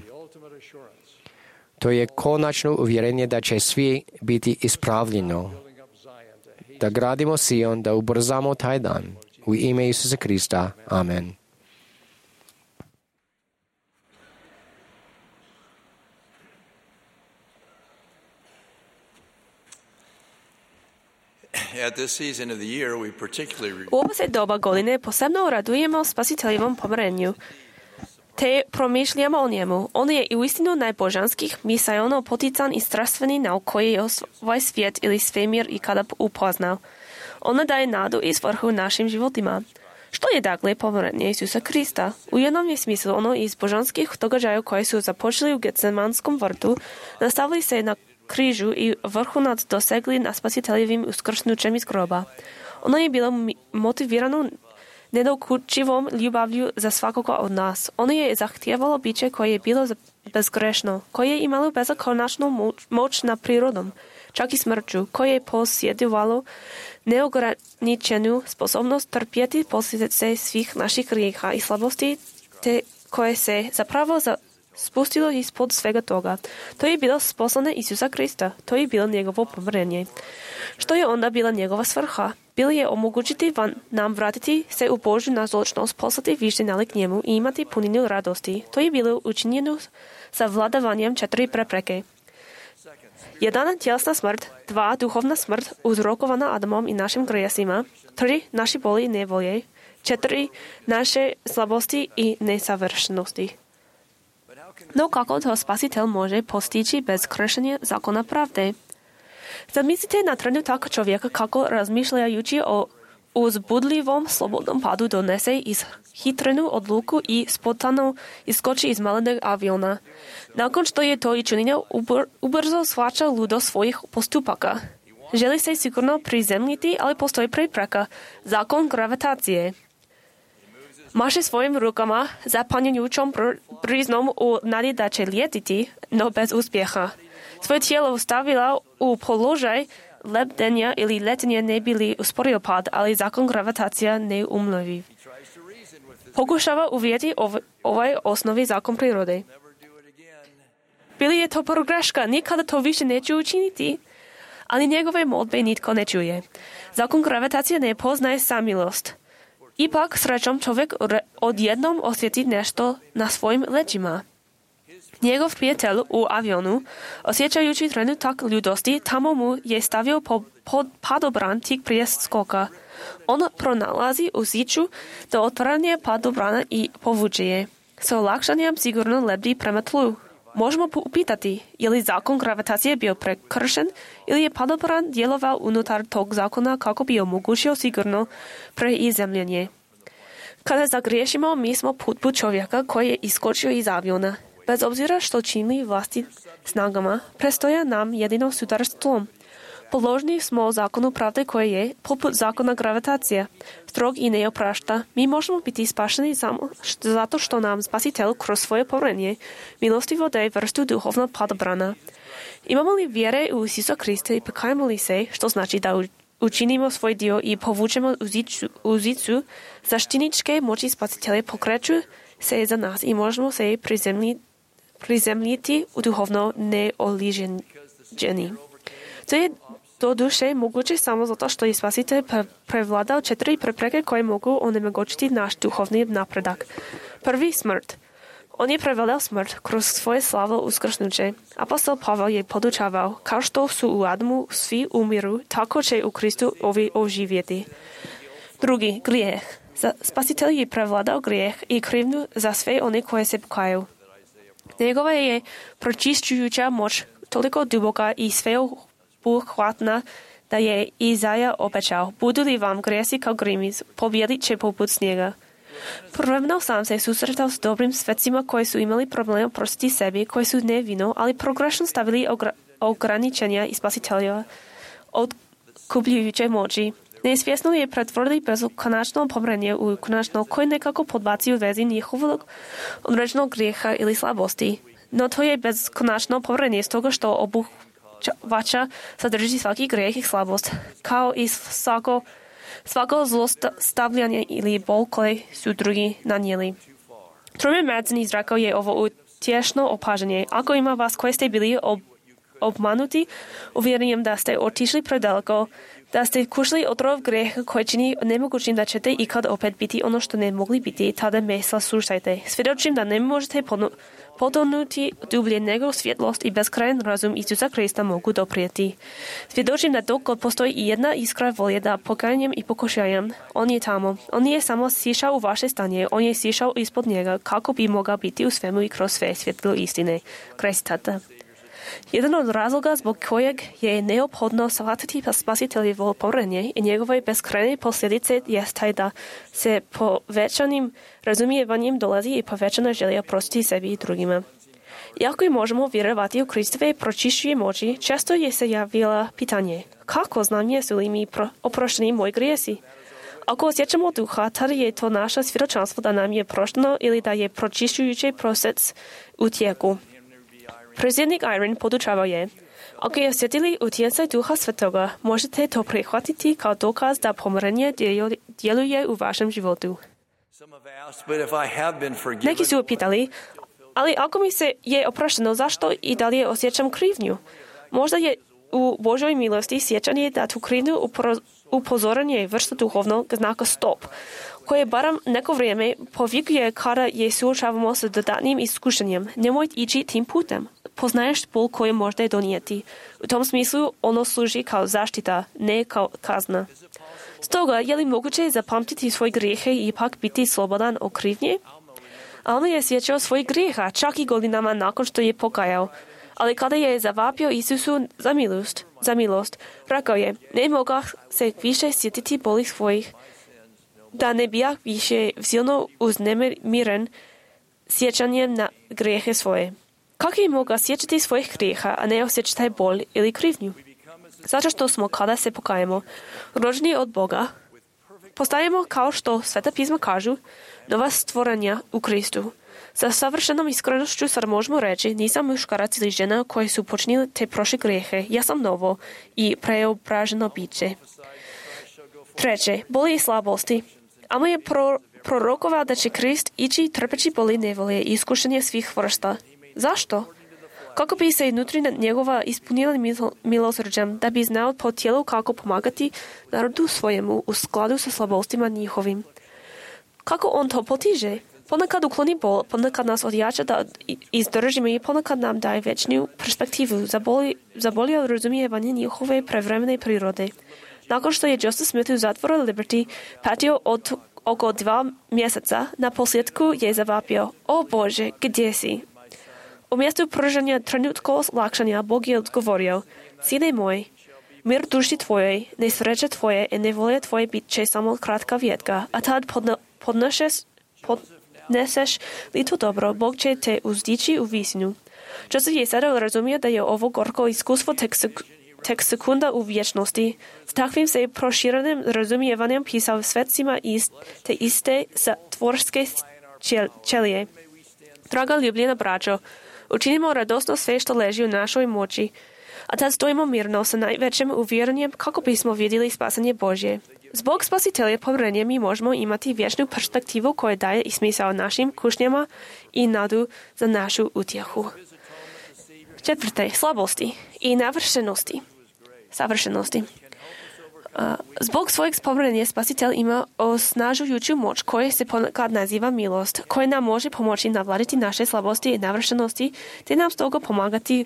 To je konačno uvjerenje da će svi biti ispravljeno. da gradimo Sion, da ubrzamo taj dan. U ime Isusa Krista. Amen. U ovo se doba godine posebno radujemo spasiteljevom pomirenju, te promišljamo o njemu. On je i uistinu najbožanskih, misaono potican i strastveni nauk koji je ovaj svijet ili svemir ikada upoznao. Ona daje nadu i svrhu našim životima. Što je dakle pomirenje Isusa Krista? U jednom je smislu ono iz božanskih događaja koji su započeli u Getsemanskom vrtu, nastavili se na križu i vrhunac dosegli na spasiteljevim uskrsnućem iz groba. Ono je bilo motivirano nedokučivom ljubavlju za svakoga od nas. Ono je zahtijevalo biće koje je bilo bezgrešno, koje je imalo bezakonačnu moć nad prirodom, čak i smrću, koje je posjedovalo neograničenu sposobnost trpjeti posljedice svih naših grijeha i slabosti, te koje se zapravo spustilo ispod svega toga. To je bilo poslane Isusa Krista. To je bilo njegovo pomirenje. Što je onda bila njegova svrha? Bilo je omogućiti nam vratiti se u Božju nazočnost, poslati više nalik njemu i imati puninu radosti. To je bilo učinjeno sa vladavanjem 4 prepreke. 1. Tjelesna smrt, 2. Duhovna smrt uzrokovana Adamom i našim grijesima, 3. Naši boli i nevolje, 4. Naše slabosti i nesavršenosti. No kako to spasitelj može postići bez kršenja zakona pravde? Zamislite na trenutak čovjeka kako razmišljajući o uzbudljivom slobodnom padu donese ishitrenu odluku i spontano iskoči iz malenog aviona. Nakon što je to učinio, ubrzo shvaća ludost svojih postupaka. Želi se sigurno prizemljiti, ali postoji prepreka, zakon gravitacije. Maše svojim rukama zapanjujućom briznom u nadi da će lijetiti, no bez uspjeha. Svoje tijelo stavila u položaj lebdenja ili letenja ne bi li usporio pad, ali zakon gravitacija ne umlovi. Pokušava uvjeti ovaj osnovi zakon prirode. Bili je to pogreška, nikada to više neću učiniti, ali njegove molbe nitko ne čuje. Zakon gravitacije ne poznaje samilost. Ipak srećom čovjek odjednom osjeti nešto na svojim leđima. Njegov prijatelj u avionu, osjećajući trenutak ljudosti, tamo mu je stavio padobran tik prije skoka. On pronalazi u ziču do otvaranja padobrana i povuče je. S olakšanjem sigurno lebdi prema tlu. Možemo upitati, je li zakon gravitacije bio prekršen ili je padobran djelovao unutar tog zakona kako bi omogućio sigurno preizemljenje. Kada zagriješimo, mi smo put čovjeka koji je iskočio iz aviona. Bez obzira što čini vlasti snagama, prestoja nam jedino sudar s tlom. Podložni smo zakonu pravde koje je, poput zakona gravitacije, strog i ne oprašta. Mi možemo biti spašeni samo zato što nam spasitelj kroz svoje pomirenje milostivo daje vrstu duhovnog padobrana. Imamo li vjere u Isusa Krista i pokajemo li se, što znači da učinimo svoj dio i povučemo uzicu, zaštitničke moći spasitelja pokreću se za nas i možemo se prizemljiti u duhovno neoliženjeni. To je do duše moguće samo zato što je spasitelj prevladao 4 prepreke koje mogu onemogućiti naš duhovni napredak. Prvi, smrt. On je prevladao smrt kroz svoje slavo uskrsnuće. Apostol Pavel je podučavao, kao što su u Adamu svi umiru, tako će u Kristu ovi oživjeti. Drugi, grijeh. Spasitelj je prevladao grijeh i krivnju za sve one koje se pokajaju. Njegova je pročišćujuća moć toliko duboka i sveobuhvatna da je Izaja obećao, budu li vam grijesi kao grimiz, pobjedit će poput snijega. Prvno sam se susretao s dobrim svecima koji su imali problema prostiti sebi, koji su nevino, ali progrešno stavili ograničenja i spasitelja od kupljujuće moći. Nesvjesno je pretvorili beskonačno pomirenje u konačno koje nekako podbaci u vezi njihovog određenog grijeha ili slabosti. No to je beskonačno pomirenje s toga što obuhvaća sadrži svaki grijeh i slabost, kao i svako zlostavljanje ili bol koje su drugi nanijeli. Truman Madsen izrekao je ovo utješno opažanje. Ako ima vas koji ste bili обманути, уверением да сте отишли предалеко, да сте кушали отров греха, кој чини немогучим да чете и кад опет бити оно што не могли бити, тада ме слушајте. Сведочим да не можете потонути дубле него светлост и безкрајен разум Исуса Христа могу допријати. Сведочим да доколку постои и една искра волја да покајањем и покушајам, он е тамо. Он не е само сишал у ваше стanje, он е сишал испод njega, како би могал бити у свему и кроз све светло истине. Крај цитата. Jedan od razloga zbog kojeg je neophodno shvatiti spasiteljevo povjerenje i njegove beskrajne posljedice jest taj da se povećanim razumijevanjem dolazi i povećana želja prostiti sebi i drugima. Iako i možemo vjerovati u Kristove pročišćuje moći, često je se javila pitanje kako znam jesu li mi oprošteni moji grijesi? Ako osjećamo duha, tada je to naše svjedočanstvo da nam je prošteno ili da je pročišćujući proces u tijeku. Predsjednik Iron podučavao je, ako je osjetili utjecaj Duha Svetoga, možete to prihvatiti kao dokaz da pomirenje djeluje u vašem životu. Neki su upitali, ali ako mi se je oprošteno, zašto i dalje osjećam krivnju? Možda je u Božoj milosti sjećanje da tu krivnju upozoranje vrsta duhovnog znaka stop, koje barem neko vrijeme povikuje kada je suočavamo s dodatnim iskušenjem. Nemoj ići tim putem. Poznaješ bol koje možda donijeti. U tom smislu ono služi kao zaštita, ne kao kazna. Stoga, je li moguće zapamtiti svoje grijehe i ipak biti slobodan od krivnje? Alma je sjećao svojih grijeha, čak i godinama nakon što je pokajao. Ali kada je zavapio Isusu za milost, rekao je, ne mogao se više sjetiti boli svojih, da ne bijah više silno uznemiren sjećanjem na grijehe svoje. Kako je mogao sjećati svojih grijeha, a ne osjećati bol ili krivnju? Zato što smo, kada se pokajemo, rođeni od Boga, postajemo, kao što Sveta pisma kažu, nova stvoranja u Kristu. Sa savršenom iskrenošću sad možemo reći, nisam muškarac ili žena koji su počinili te prošle grijehe, ja sam novo i preobraženo biće. Treće, boli i slabosti. Amo je prorokovao da će Krist ići trpeći boli nevolje i iskušenje svih vrsta. Zašto? Kako bi se nutrina njegova ispunila milosrđem, da bi znao po tijelu kako pomagati narodu svojemu u skladu sa slabostima njihovim. Kako on to potiže? Ponekad ukloni bol, ponekad nas odjača da izdržimo i ponekad nam daje večnu perspektivu za bolje razumijevanje njihove prevremene prirode. Nakon što je Joseph Smith u zatvoru Liberty patio od oko 2 mjeseca, na posljedku je zavapio, o Bože, gdje si? U mjestu pružanja trenutko olakšanja Bog je odgovorio, sine moj, mir duši tvojoj, nesreće tvoje i nevolje tvoje bit će samo kratka vjetka, a tad podneseš li to dobro, Bog će te uzdići u visinu. Joseph je sada razumio da je ovo gorko iskustvo tek sekunda u vječnosti. S takvim se proširenim razumijevanjem pisao svecima te iste tvorske ćelije. Draga ljubljena braćo, učinimo radosno sve što leži u našoj moći, a tad stojimo mirno sa najvećim uvjerenjem kako bismo vidjeli spasanje Božje. Zbog spasitelja povjerenja mi možemo imati vječnu perspektivu koja daje i smisao našim kušnjama i nadu za našu utjehu. Četvrte, slabosti i savršenosti. Zbog svojeg povjerenja spasitelj ima osnažujuću moć koja se ponekad naziva milost, koja nam može pomoći navladiti naše slabosti i navršenosti, te nam stoga pomagati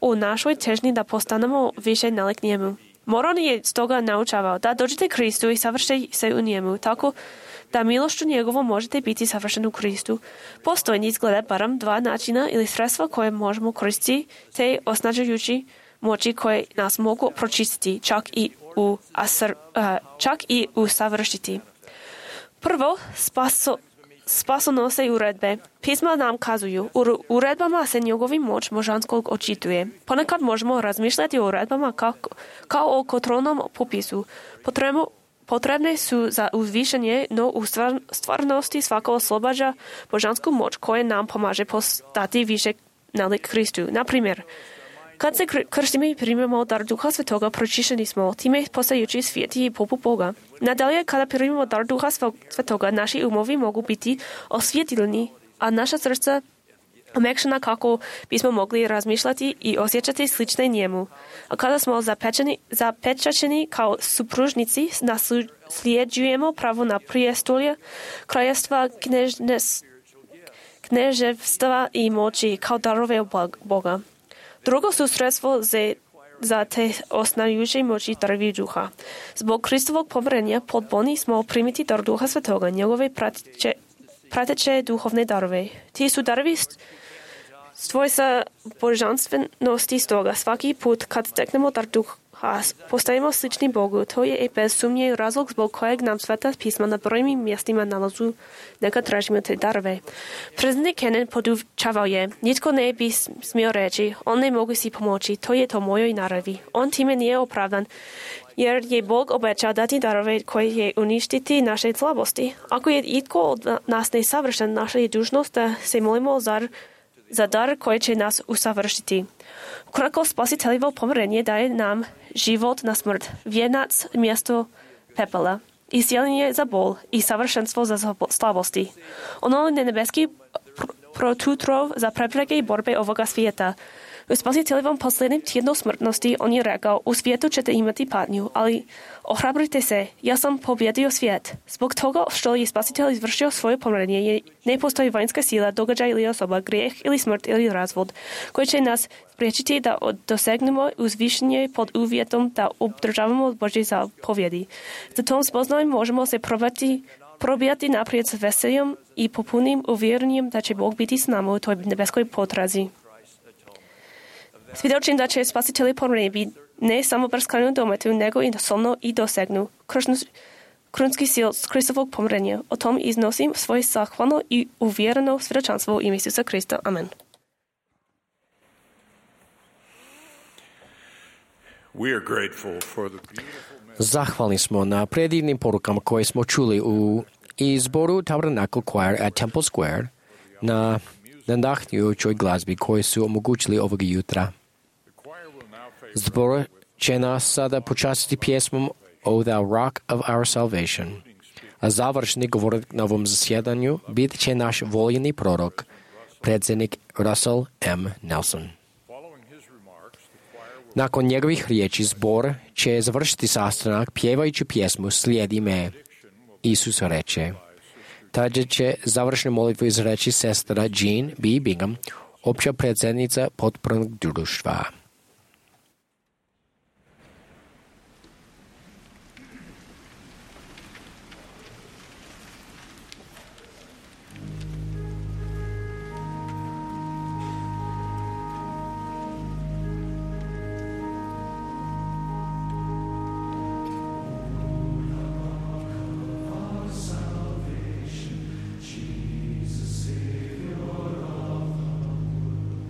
u našoj težnji da postanemo više nalik njemu. Moron je stoga naučavao da dođete Kristu i savršite se u njemu, tako da milošću njegovom možete biti savršeni u Kristu. Postoji izgleda barem 2 načina ili sredstva koje možemo koristiti, te osnažujući moći koje nas mogu pročistiti, čak i usavršiti. Prvo, spasonosne uredbe. Pisma nam kazuju, u uredbama se njegovi moć možanskog očituje. Ponekad možemo razmišljati o uredbama kao o kontrolnom popisu. Potrebne su za uzvišenje, no u stvarnosti svako oslobađa božansku moć koja nam pomaže postati više nalik Kristu. Na primjer, kad se krstimo i primimo dar Duha Svetoga, pročišćeni smo, time postajući svijeti i poput Boga. Nadalje, kada primimo dar Duha Svetoga, naši umovi mogu biti osvjetleni, a naša srca omekšana kako bismo mogli razmišljati i osjećati slične njemu. A kada smo zapečaćeni kao supružnici, nasljeđujemo pravo na prijestolje, kraljevstva, kneževstva i moći kao darove Boga. Drugo su sredstvo za te osnajujuće moći darovi duha. Zbog Kristovog pomirenja podboni smo primiti dar Duha Svetoga, njegove prateće duhovne darove. Ti su darovi svojstva božanstvenosti, stoga svaki put kad steknemo dar Duha postajemo slični Bogu. To je i bez sumnje razlog zbog kojeg nam Sveta pisma na brojnim mjestima nalazu neka tražimo te darove. Predsjednik Kennan podučavao je, nitko ne bi smio reći, on ne mogu si pomoći, to je to mojoj naravi. On time nije opravdan, jer je Bog obećao dati darove koje je uništiti naše slabosti. Ako je itko od nas nesavršen, naša je dužnost da se molimo za dar koji će nas usavršiti. Ukratko, Spasiteljevo pomirenje daje nam život na smrt, vjenac mjesto pepela, iscijeljenje za bol i savršenstvo za slabosti. Ono je nebeski protutrov za prepreke i borbe ovoga svijeta. U Spasiteljevom posljednjem tjednu smrtnosti on je rekao, u svijetu ćete imati patnju, ali ohrabrite se, ja sam pobjedio svijet. Zbog toga što je Spasitelj izvršio svoje pomirenje, ne postoji vanjska sila, događaj ili osoba, grijeh ili smrt ili razvod, koji će nas spriječiti da dosegnemo uzvišenje pod uvjetom da obdržavamo Božje zapovjedi. Za tom spoznajom možemo se probijati naprijed s veseljem i popunim uvjerenjem da će Bog biti s nama u toj nebeskoj potrazi. Svjedočim da će Spasitelj pomirenje ne samo prskanu dometu, nego i nasolno i dosegnu krunski sil Kristovog pomirenja. O tom iznosim svoje zahvalno i uvjereno svjedočanstvo u ime Isusa Krista. Amen. Zahvalni smo na predivnim porukama koje smo čuli u izboru Tabernacle Choir at Temple Square na nadahnujućoj glazbi koji su omogućili ovog jutra. Zbor će nas sada počastiti pjesmom O Thou Rock of Our Salvation. A završni govornik na ovom zasjedanju bit će naš voljeni prorok, predsjednik Russell M. Nelson. Nakon njegovih riječi zbor će završiti sastanak pjevajući pjesmu Slijedi me. Isus reče. Tada će završnu molitvu izreći sestra Jean B. Bingham, opća predsjednica potpornog društva. Jesus, Savior of the world,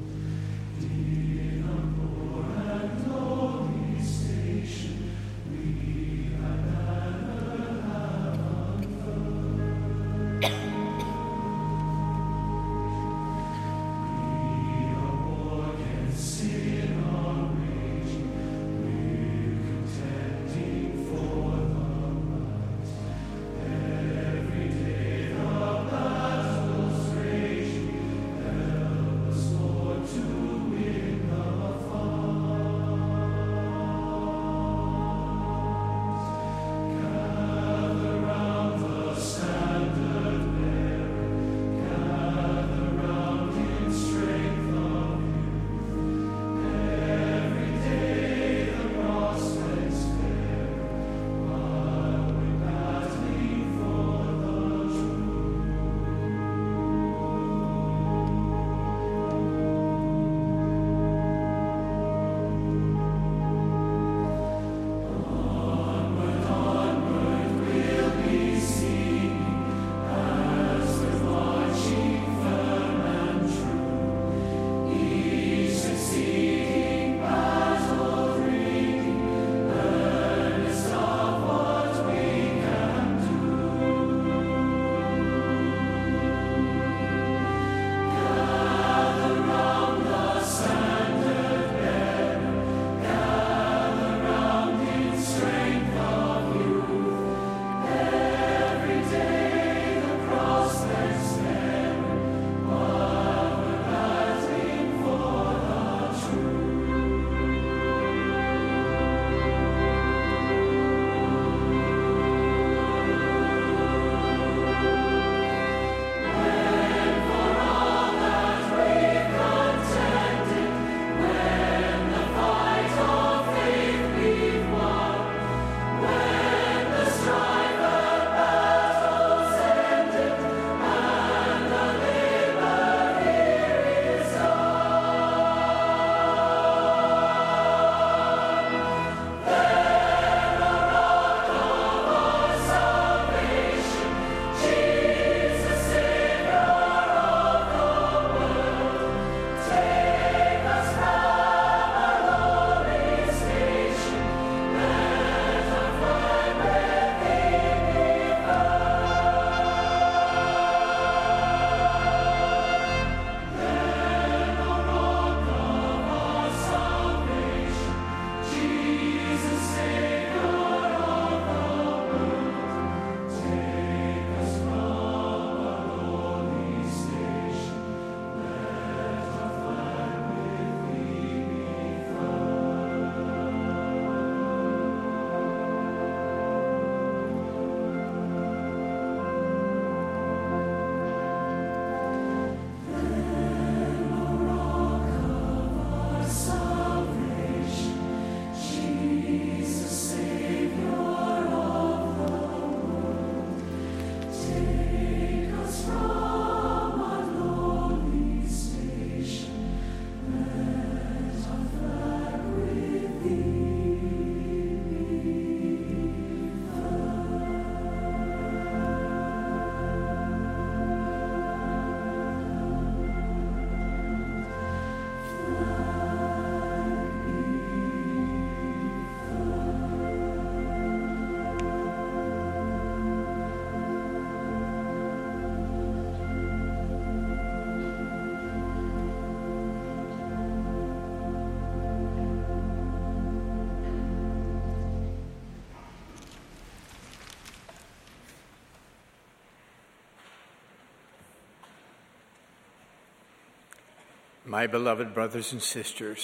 My beloved brothers and sisters,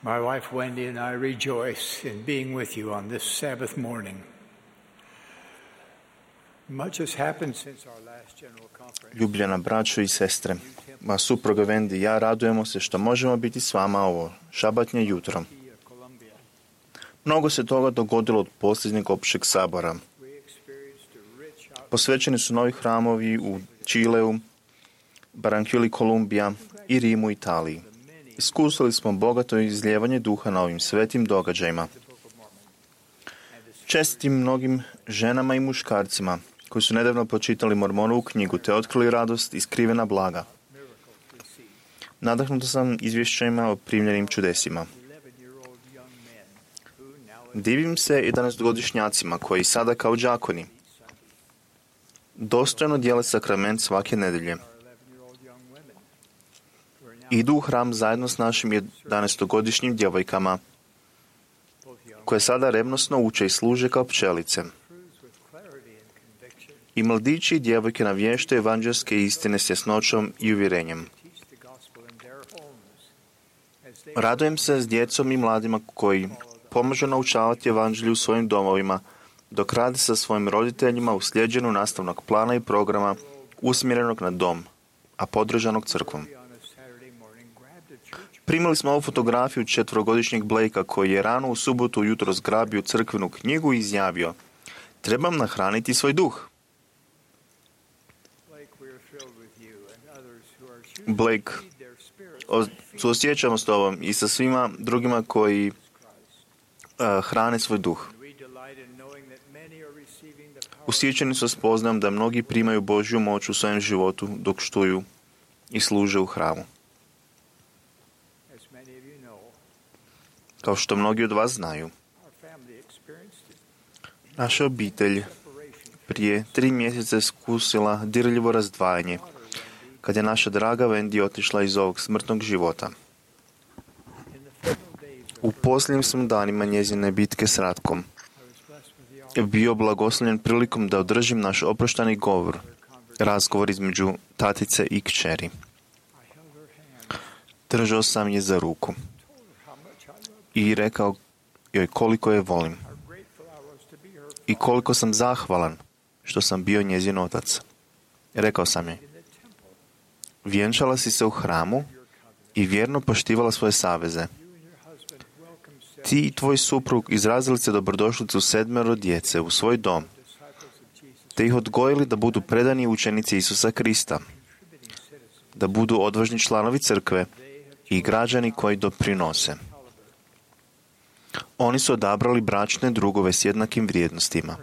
my wife Wendy and I rejoice in being with you on this Sabbath morning. Much has happened since our last general conference. Ljubljena braćo i sestre, moja supruga Wendy i ja radujemo se što možemo biti s vama ovo šabatnje jutro. Mnogo se toga dogodilo od posljednjeg općeg sabora. Posvećeni su novi hramovi u Čileu, Barranquilli, Kolumbija i Rimu, Italiji. Iskusili smo bogato izlijevanje duha na ovim svetim događajima. Čestitim mnogim ženama i muškarcima koji su nedavno pročitali Mormonovu knjigu te otkrili radost i skrivena blaga. Nadahnuta sam izvješćima o primljenim čudesima. Divim se 11-godišnjacima koji sada kao đakoni dostojno dijele sakrament svake nedelje. Idu u hram zajedno s našim 11-godišnjim djevojkama koje sada revnosno uče i služe kao pčelice. I mladići i djevojke navještaju evanđelske istine s jasnoćom i uvjerenjem. Radujem se s djecom i mladima koji pomažu naučavati evanđelju u svojim domovima, dok rade sa svojim roditeljima u sljeđenu nastavnog plana i programa usmjerenog na dom, a podržanog crkvom. Primili smo ovu fotografiju 4-godišnjeg Blakea koji je rano u subotu ujutro zgrabio crkvenu knjigu i izjavio: "Trebam nahraniti svoj duh." Blake, suosjećamo s tobom i sa svima drugima koji hrane svoj duh. Usjećeni su spoznajom da mnogi primaju Božju moć u svojem životu dok štuju i služe u hramu. Kao što mnogi od vas znaju, naša obitelj prije 3 mjeseca iskusila dirljivo razdvajanje kad je naša draga Wendy otišla iz ovog smrtnog života. U posljednjim sam danima njezine bitke s Ratkom bio blagoslovljen prilikom da održim naš oproštani govor, razgovor između tatice i kćeri. Držao sam je za ruku i rekao joj koliko je volim i koliko sam zahvalan što sam bio njezin otac. Rekao sam joj: "Vjenčala si se u hramu i vjerno poštivala svoje saveze. Ti i tvoj suprug izrazili ste dobrodošlicu 7 djece u svoj dom, te ih odgojili da budu predani učenici Isusa Krista, da budu odvažni članovi crkve i građani koji doprinose. Oni su odabrali bračne drugove s jednakim vrijednostima.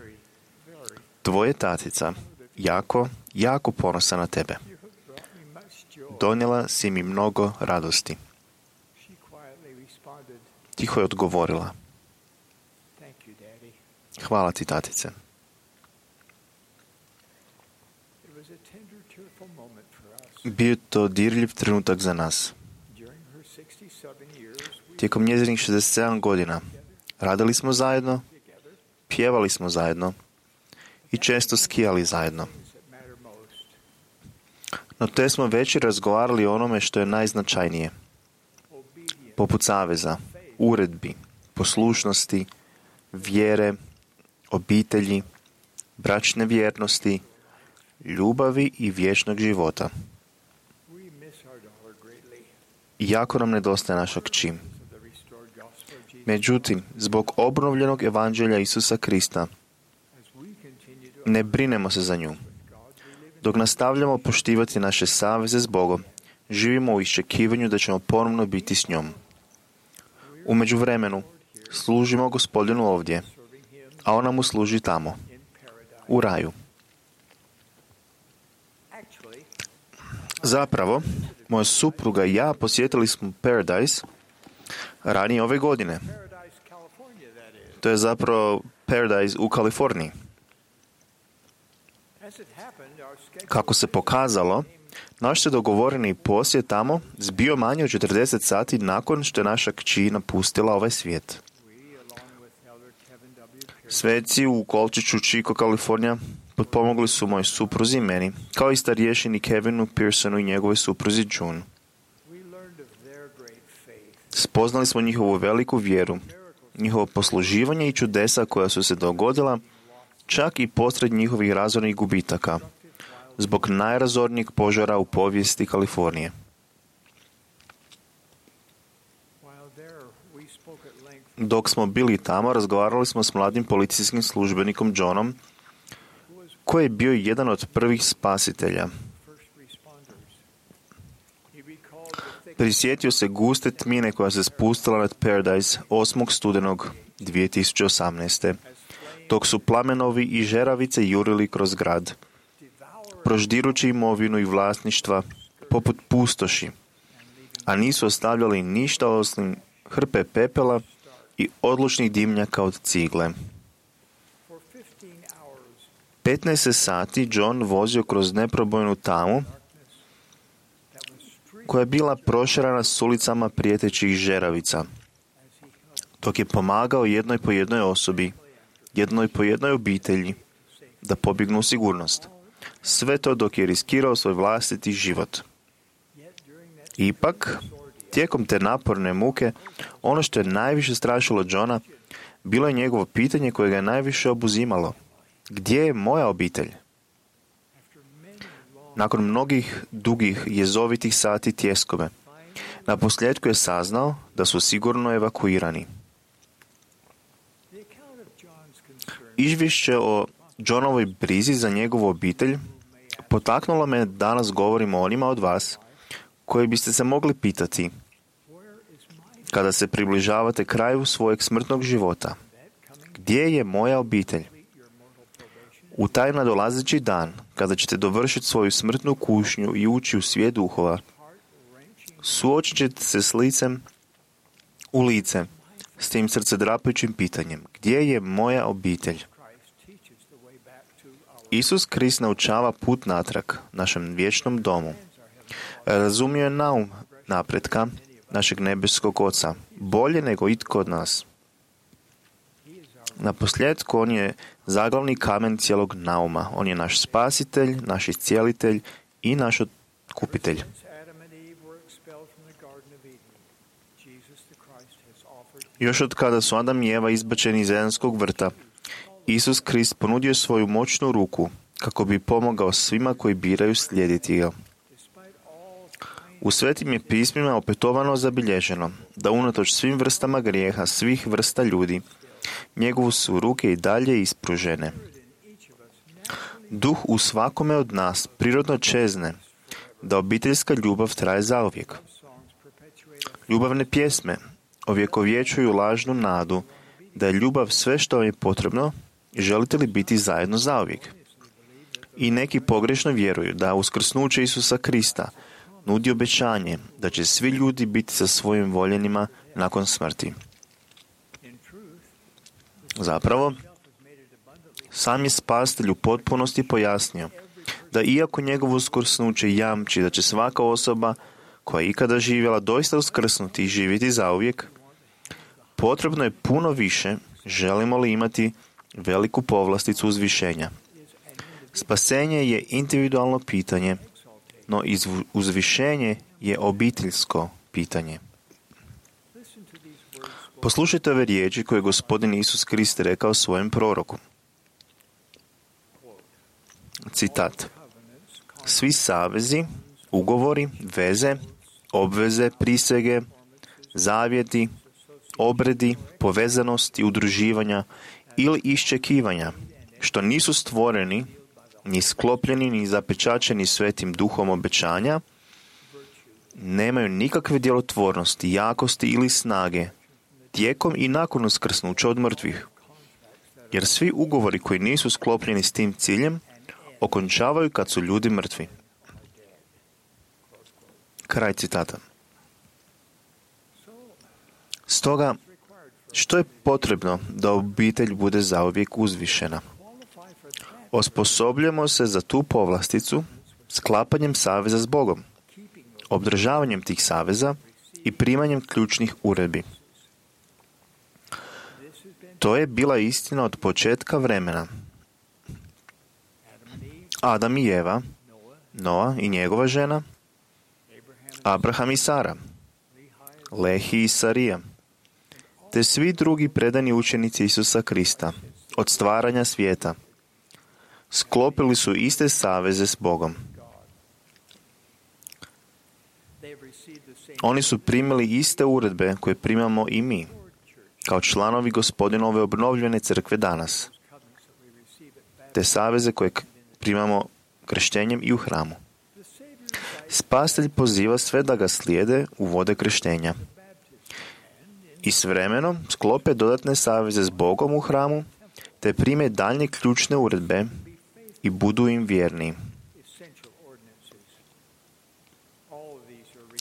Tvoja tatica jako ponosa na tebe. Donijela si mi mnogo radosti." Tiho je odgovorila: "Hvala ti, tatice." Bio je to dirljiv trenutak za nas. Tijekom njezinih 67 godina radili smo zajedno, pjevali smo zajedno i često skijali zajedno. No te smo već razgovarali o onome što je najznačajnije, poput saveza, uredbi, poslušnosti, vjere, obitelji, bračne vjernosti, ljubavi i vječnog života. Jako nam nedostaje naša kći. Međutim, zbog obnovljenog evanđelja Isusa Krista, ne brinemo se za nju. Dok nastavljamo poštivati naše saveze s Bogom, živimo u iščekivanju da ćemo ponovno biti s njom. U međuvremenu služimo Gospodinu ovdje, a ona mu služi tamo, u raju. Zapravo, moja supruga i ja posjetili smo Paradise ranije ove godine. To je zapravo Paradise u Kaliforniji. Kako se pokazalo, naš se dogovoreni posjet tamo zbio manje od 40 sati nakon što je naša kći napustila ovaj svijet. Sveci u kolčiću Chico, Kalifornija, potpomogli su moj supruzi i meni, kao i starješini Kevinu Pearsonu i njegovoj supruzi June. Spoznali smo njihovu veliku vjeru, njihovo posluživanje i čudesa koja su se dogodila, čak i posred njihovih razornih gubitaka, zbog najrazornijeg požara u povijesti Kalifornije. Dok smo bili tamo, razgovarali smo s mladim policijskim službenikom Johnom, koji je bio jedan od prvih spasitelja. Prisjetio se guste tmine koja se spustila nad Paradise 8. studenog 2018. dok su plamenovi i žeravice jurili kroz grad, proždirući imovinu i vlasništva poput pustoši, a nisu ostavljali ništa osim hrpe pepela i odlučnih dimnjaka od cigle. 15 sati John vozio kroz neprobojnu tamu koja je bila prošerana s ulicama prijetećih žeravica, dok je pomagao jednoj po jednoj osobi, jednoj po jednoj obitelji da pobjegnu u sigurnost. Sve to dok je riskirao svoj vlastiti život. Ipak, tijekom te naporne muke, ono što je najviše strašilo Johna bilo je njegovo pitanje koje ga je najviše obuzimalo. Gdje je moja obitelj? Nakon mnogih dugih jezovitih sati tjeskove, naposljetku je saznao da su sigurno evakuirani. Izvješće o Johnovoj brizi za njegovu obitelj potaknulo me da danas govorim o onima od vas koji biste se mogli pitati kada se približavate kraju svojeg smrtnog života. Gdje je moja obitelj? U taj nadolazeći dan, kada ćete dovršiti svoju smrtnu kušnju i ući u svijet duhova, suočit ćete se s licem u lice, s tim srcedrapajućim pitanjem. Gdje je moja obitelj? Isus Krist naučava put natrag, našem vječnom domu. Razumio je naum napretka našeg nebeskog Oca, bolje nego itko od nas. Naposljetku, on je zaglavni kamen cijelog nauma. On je naš spasitelj, naš iscijelitelj i naš otkupitelj. Još od kada su Adam i Eva izbačeni iz Edenskog vrta, Isus Krist ponudio svoju moćnu ruku kako bi pomogao svima koji biraju slijediti ga. U svetim je pismima opetovano zabilježeno da unatoč svim vrstama grijeha, svih vrsta ljudi, njegovu su ruke i dalje ispružene. Duh u svakome od nas prirodno čezne da obiteljska ljubav traje zauvijek. Ljubavne pjesme ovjekovječuju lažnu nadu da je ljubav sve što vam je potrebno i želite li biti zajedno zauvijek. I neki pogrešno vjeruju da uskrsnuće Isusa Krista nudi obećanje da će svi ljudi biti sa svojim voljenima nakon smrti. Zapravo, sam je spasitelj u potpunosti pojasnio da iako njegovo uskrsnuće jamči da će svaka osoba koja je ikada živjela doista uskrsnuti i živjeti zauvijek, potrebno je puno više želimo li imati veliku povlasticu uzvišenja. Spasenje je individualno pitanje, no uzvišenje je obiteljsko pitanje. Poslušajte ove riječi koje je Gospodin Isus Krist rekao svojem proroku. Citat. Svi savezi, ugovori, veze, obveze, prisege, zavjeti, obredi, povezanosti, udruživanja ili iščekivanja, što nisu stvoreni, ni sklopljeni, ni zapečačeni svetim duhom obećanja, nemaju nikakve djelotvornosti, jakosti ili snage, tijekom i nakon uskrsnuća od mrtvih. Jer svi ugovori koji nisu sklopljeni s tim ciljem, okončavaju kad su ljudi mrtvi. Kraj citata. Stoga, što je potrebno da obitelj bude zauvijek uzvišena? Osposobljamo se za tu povlasticu sklapanjem saveza s Bogom, obdržavanjem tih saveza i primanjem ključnih uredbi. To je bila istina od početka vremena. Adam i Eva, Noa i njegova žena, Abraham i Sara, Lehi i Sarija, te svi drugi predani učenici Isusa Krista od stvaranja svijeta sklopili su iste saveze s Bogom. Oni su primili iste uredbe koje primamo i mi, kao članovi Gospodinove obnovljene crkve danas, te saveze koje primamo krštenjem i u hramu. Spasitelj poziva sve da ga slijede u vode krštenja i s vremenom sklope dodatne saveze s Bogom u hramu, te prime daljnje ključne uredbe i budu im vjerni.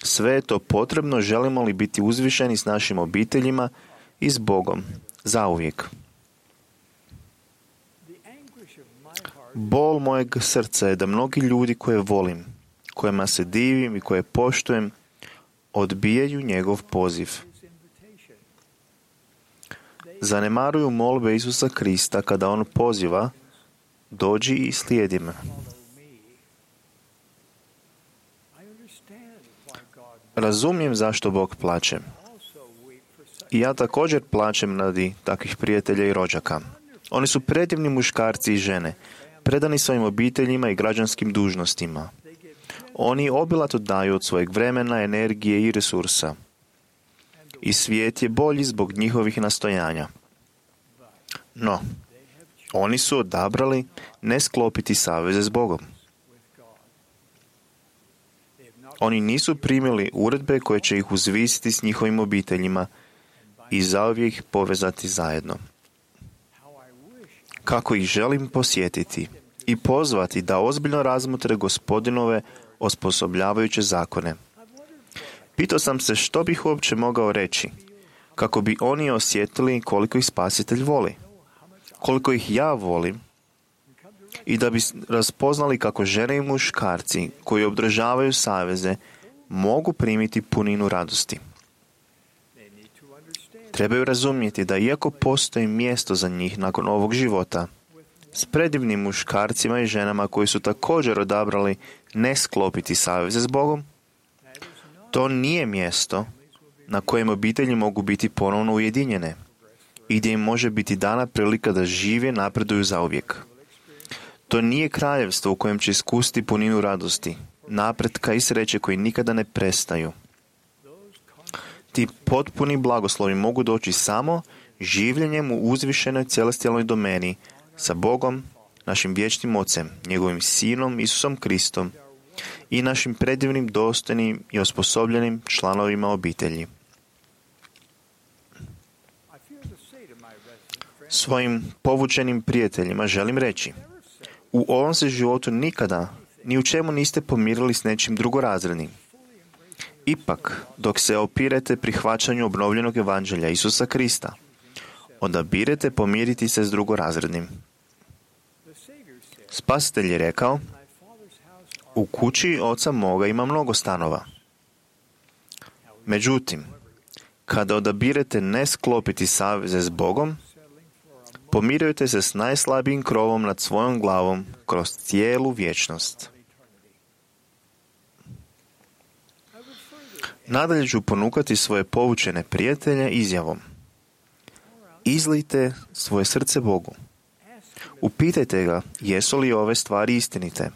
Sve je to potrebno, želimo li biti uzvišeni s našim obiteljima i s Bogom zauvijek. Bol mojeg srca je da mnogi ljudi koje volim, kojima se divim i koje poštujem, odbijaju njegov poziv. Zanemaruju molbe Isusa Krista kada on poziva: dođi i slijedi me. Razumijem zašto Bog plače. I ja također plačem radi takvih prijatelja i rođaka. Oni su predivni muškarci i žene, predani svojim obiteljima i građanskim dužnostima. Oni obilato daju od svojeg vremena, energije i resursa. I svijet je bolji zbog njihovih nastojanja. No, oni su odabrali ne sklopiti saveze s Bogom. Oni nisu primili uredbe koje će ih uzvisiti s njihovim obiteljima i zauvijek ih povezati zajedno. Kako ih želim posjetiti i pozvati da ozbiljno razmotre Gospodinove osposobljavajuće zakone. Pitao sam se što bih uopće mogao reći, kako bi oni osjetili koliko ih Spasitelj voli, koliko ih ja volim, i da bi raspoznali kako žene i muškarci koji održavaju saveze mogu primiti puninu radosti. Trebaju razumjeti da iako postoji mjesto za njih nakon ovog života, s predivnim muškarcima i ženama koji su također odabrali ne sklopiti saveze s Bogom, to nije mjesto na kojem obitelji mogu biti ponovno ujedinjene i gdje im može biti dana prilika da žive i napreduju zauvijek. To nije kraljevstvo u kojem će iskusiti puninu radosti, napretka i sreće koji nikada ne prestaju. Ti potpuni blagoslovi mogu doći samo življenjem u uzvišenoj celestijalnoj domeni sa Bogom, našim vječnim Ocem, njegovim Sinom Isusom Kristom i našim predivnim, dostojnim i osposobljenim članovima obitelji. Svojim povučenim prijateljima želim reći: u ovom se životu nikada ni u čemu niste pomirili s nečim drugorazrednim. Ipak, dok se opirete prihvaćanju obnovljenog evanđelja Isusa Krista, odabirete pomiriti se s drugorazrednim. Spasitelj je rekao: u kući oca moga ima mnogo stanova. Međutim, kada odabirete ne sklopiti saveze s Bogom, pomirujete se s najslabijim krovom nad svojom glavom kroz cijelu vječnost. Nadalje ću ponukati svoje povučene prijatelje izjavom: izlijte svoje srce Bogu. Upitajte ga jesu li ove stvari istinite.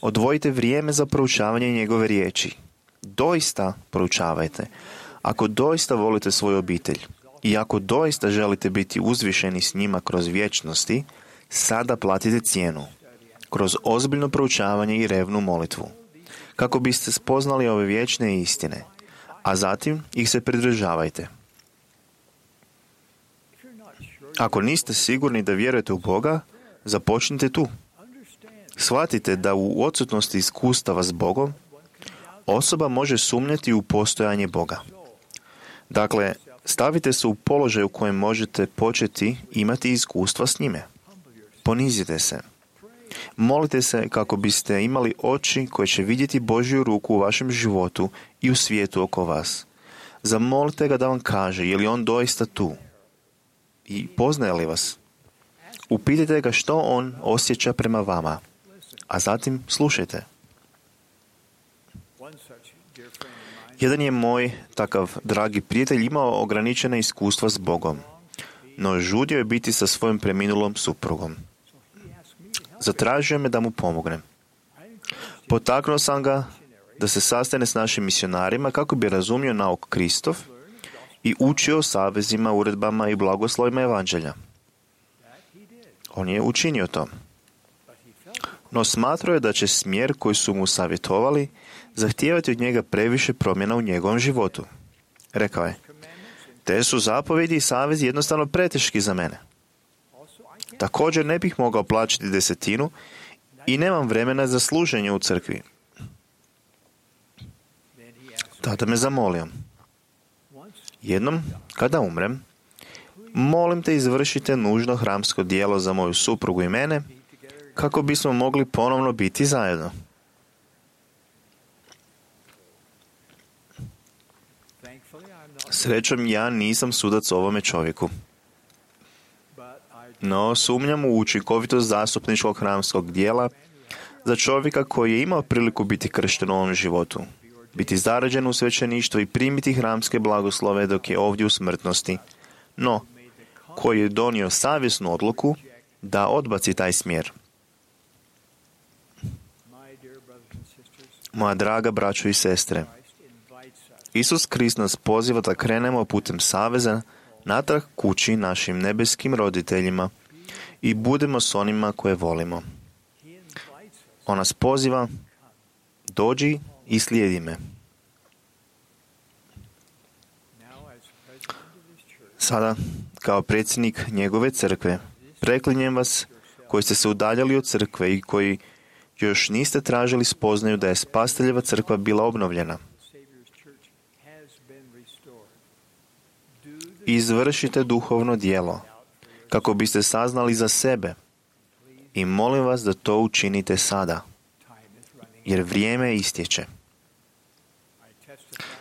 Odvojite vrijeme za proučavanje njegove riječi. Doista proučavajte. Ako doista volite svoju obitelj i ako doista želite biti uzvišeni s njima kroz vječnosti, sada platite cijenu kroz ozbiljno proučavanje i revnu molitvu, kako biste spoznali ove vječne istine, a zatim ih se pridržavajte. Ako niste sigurni da vjerujete u Boga, započnite tu. Shvatite da u odsutnosti iskustava s Bogom, osoba može sumnjati u postojanje Boga. Dakle, stavite se u položaj u kojem možete početi imati iskustva s njime. Ponizite se. Molite se kako biste imali oči koje će vidjeti Božju ruku u vašem životu i u svijetu oko vas. Zamolite ga da vam kaže je li on doista tu i poznaje li vas. Upitajte ga što on osjeća prema vama, a zatim slušajte. Jedan je moj takav dragi prijatelj imao ograničena iskustva s Bogom, no žudio je biti sa svojom preminulom suprugom. Zatražio me da mu pomognem. Potaknuo sam ga da se sastane s našim misionarima kako bi razumio nauk Kristov i učio o savezima, uredbama i blagoslovima evanđelja. On je učinio to. No smatrao je da će smjer koji su mu savjetovali zahtijevati od njega previše promjena u njegovom životu. Rekao je, te su zapovjedi i savezi jednostavno preteški za mene. Također ne bih mogao plaćati 10 i nemam vremena za služenje u crkvi. Tada me zamolio, jednom, kada umrem, molim te izvršite nužno hramsko djelo za moju suprugu i mene, kako bismo mogli ponovno biti zajedno. Srećom, ja nisam sudac ovome čovjeku. No, sumnjam u učinkovitost zastupničkog hramskog dijela za čovjeka koji je imao priliku biti kršten u ovom životu, biti zarađen u svećeništvo i primiti hramske blagoslove dok je ovdje u smrtnosti, no koji je donio savjesnu odluku da odbaci taj smjer. Moja draga braćo i sestre, Isus Krist nas poziva da krenemo putem saveza natrag kući našim nebeskim roditeljima i budemo s onima koje volimo. On nas poziva, dođi i slijedi me. Sada, kao predsjednik njegove crkve, preklinjem vas koji ste se udaljali od crkve i koji još niste tražili spoznaju da je Spasiteljeva crkva bila obnovljena. Izvršite duhovno djelo, kako biste saznali za sebe i molim vas da to učinite sada, jer vrijeme istječe.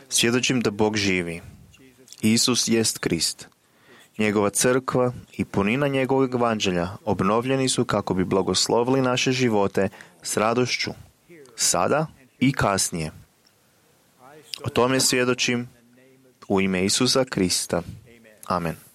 Svjedočim da Bog živi. Isus jest Krist. Njegova crkva i punina njegovog evanđelja obnovljeni su kako bi blagoslovili naše živote s radošću, sada i kasnije. O tome svjedočim u ime Isusa Krista. Amen.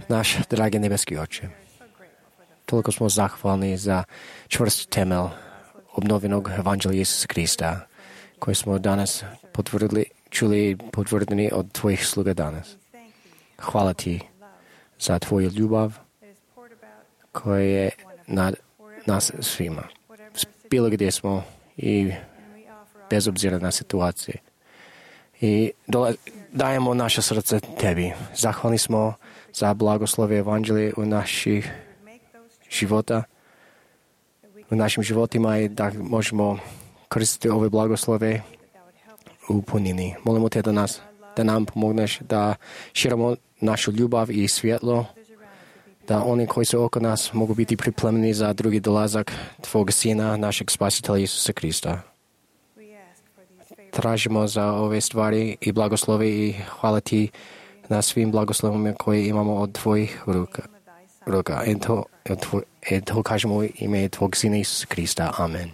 Naš dragi nebeski Oče, toliko smo zahvalni za čvrst temelj obnovenog Evanđelja Isusa Krista, koji smo danas čuli i potvrdili od Tvojih sluga danas. Hvala Ti za Tvoju ljubav koja je nad nas svima. Bilo gdje smo i bez obzira na situacije. I dajemo naše srce Tebi. Zahvalni smo za blagoslove Evanđelje u naših života, u našim životima i da možemo koristiti ove blagoslove u punini. Molimo Te da nam pomogneš da širimo našu ljubav i svjetlo, da oni koji su oko nas mogu biti pripremljeni za drugi dolazak Tvog Sina, našeg Spasitelja Isusa Krista. Tražimo za ove stvari i blagoslove i hvala Ti na svim blagoslovima koje imamo od Tvojih ruka. I to kažemo u ime Tvog Sina Isusa Krista. Amen.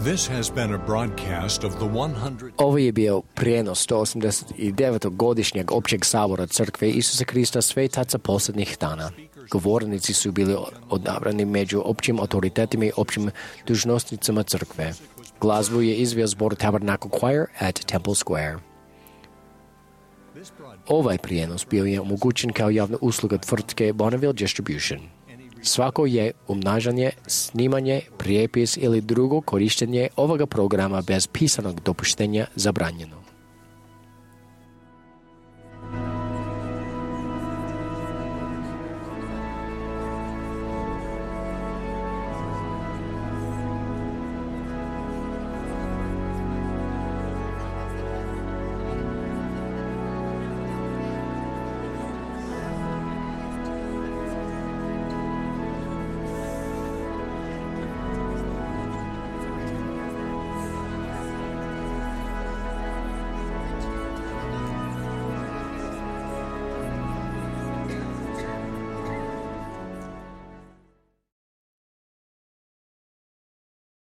This has been a broadcast of the 100. Ovo je bio prijenos 189. godišnjeg općeg sabora Crkve Isusa Krista svetaca posljednjih dana. Govornici su bili odabrani među općim autoritetima i općim dužnosnicama Crkve. Glazbu je izveo zbor Tabernacle Choir at Temple Square. Ovaj prijenos bio je omogućen kao javna usluga tvrtke Bonneville Distribution. Svako je umnažanje, snimanje, prijepis ili drugo korištenje ovoga programa bez pisanog dopuštenja zabranjeno.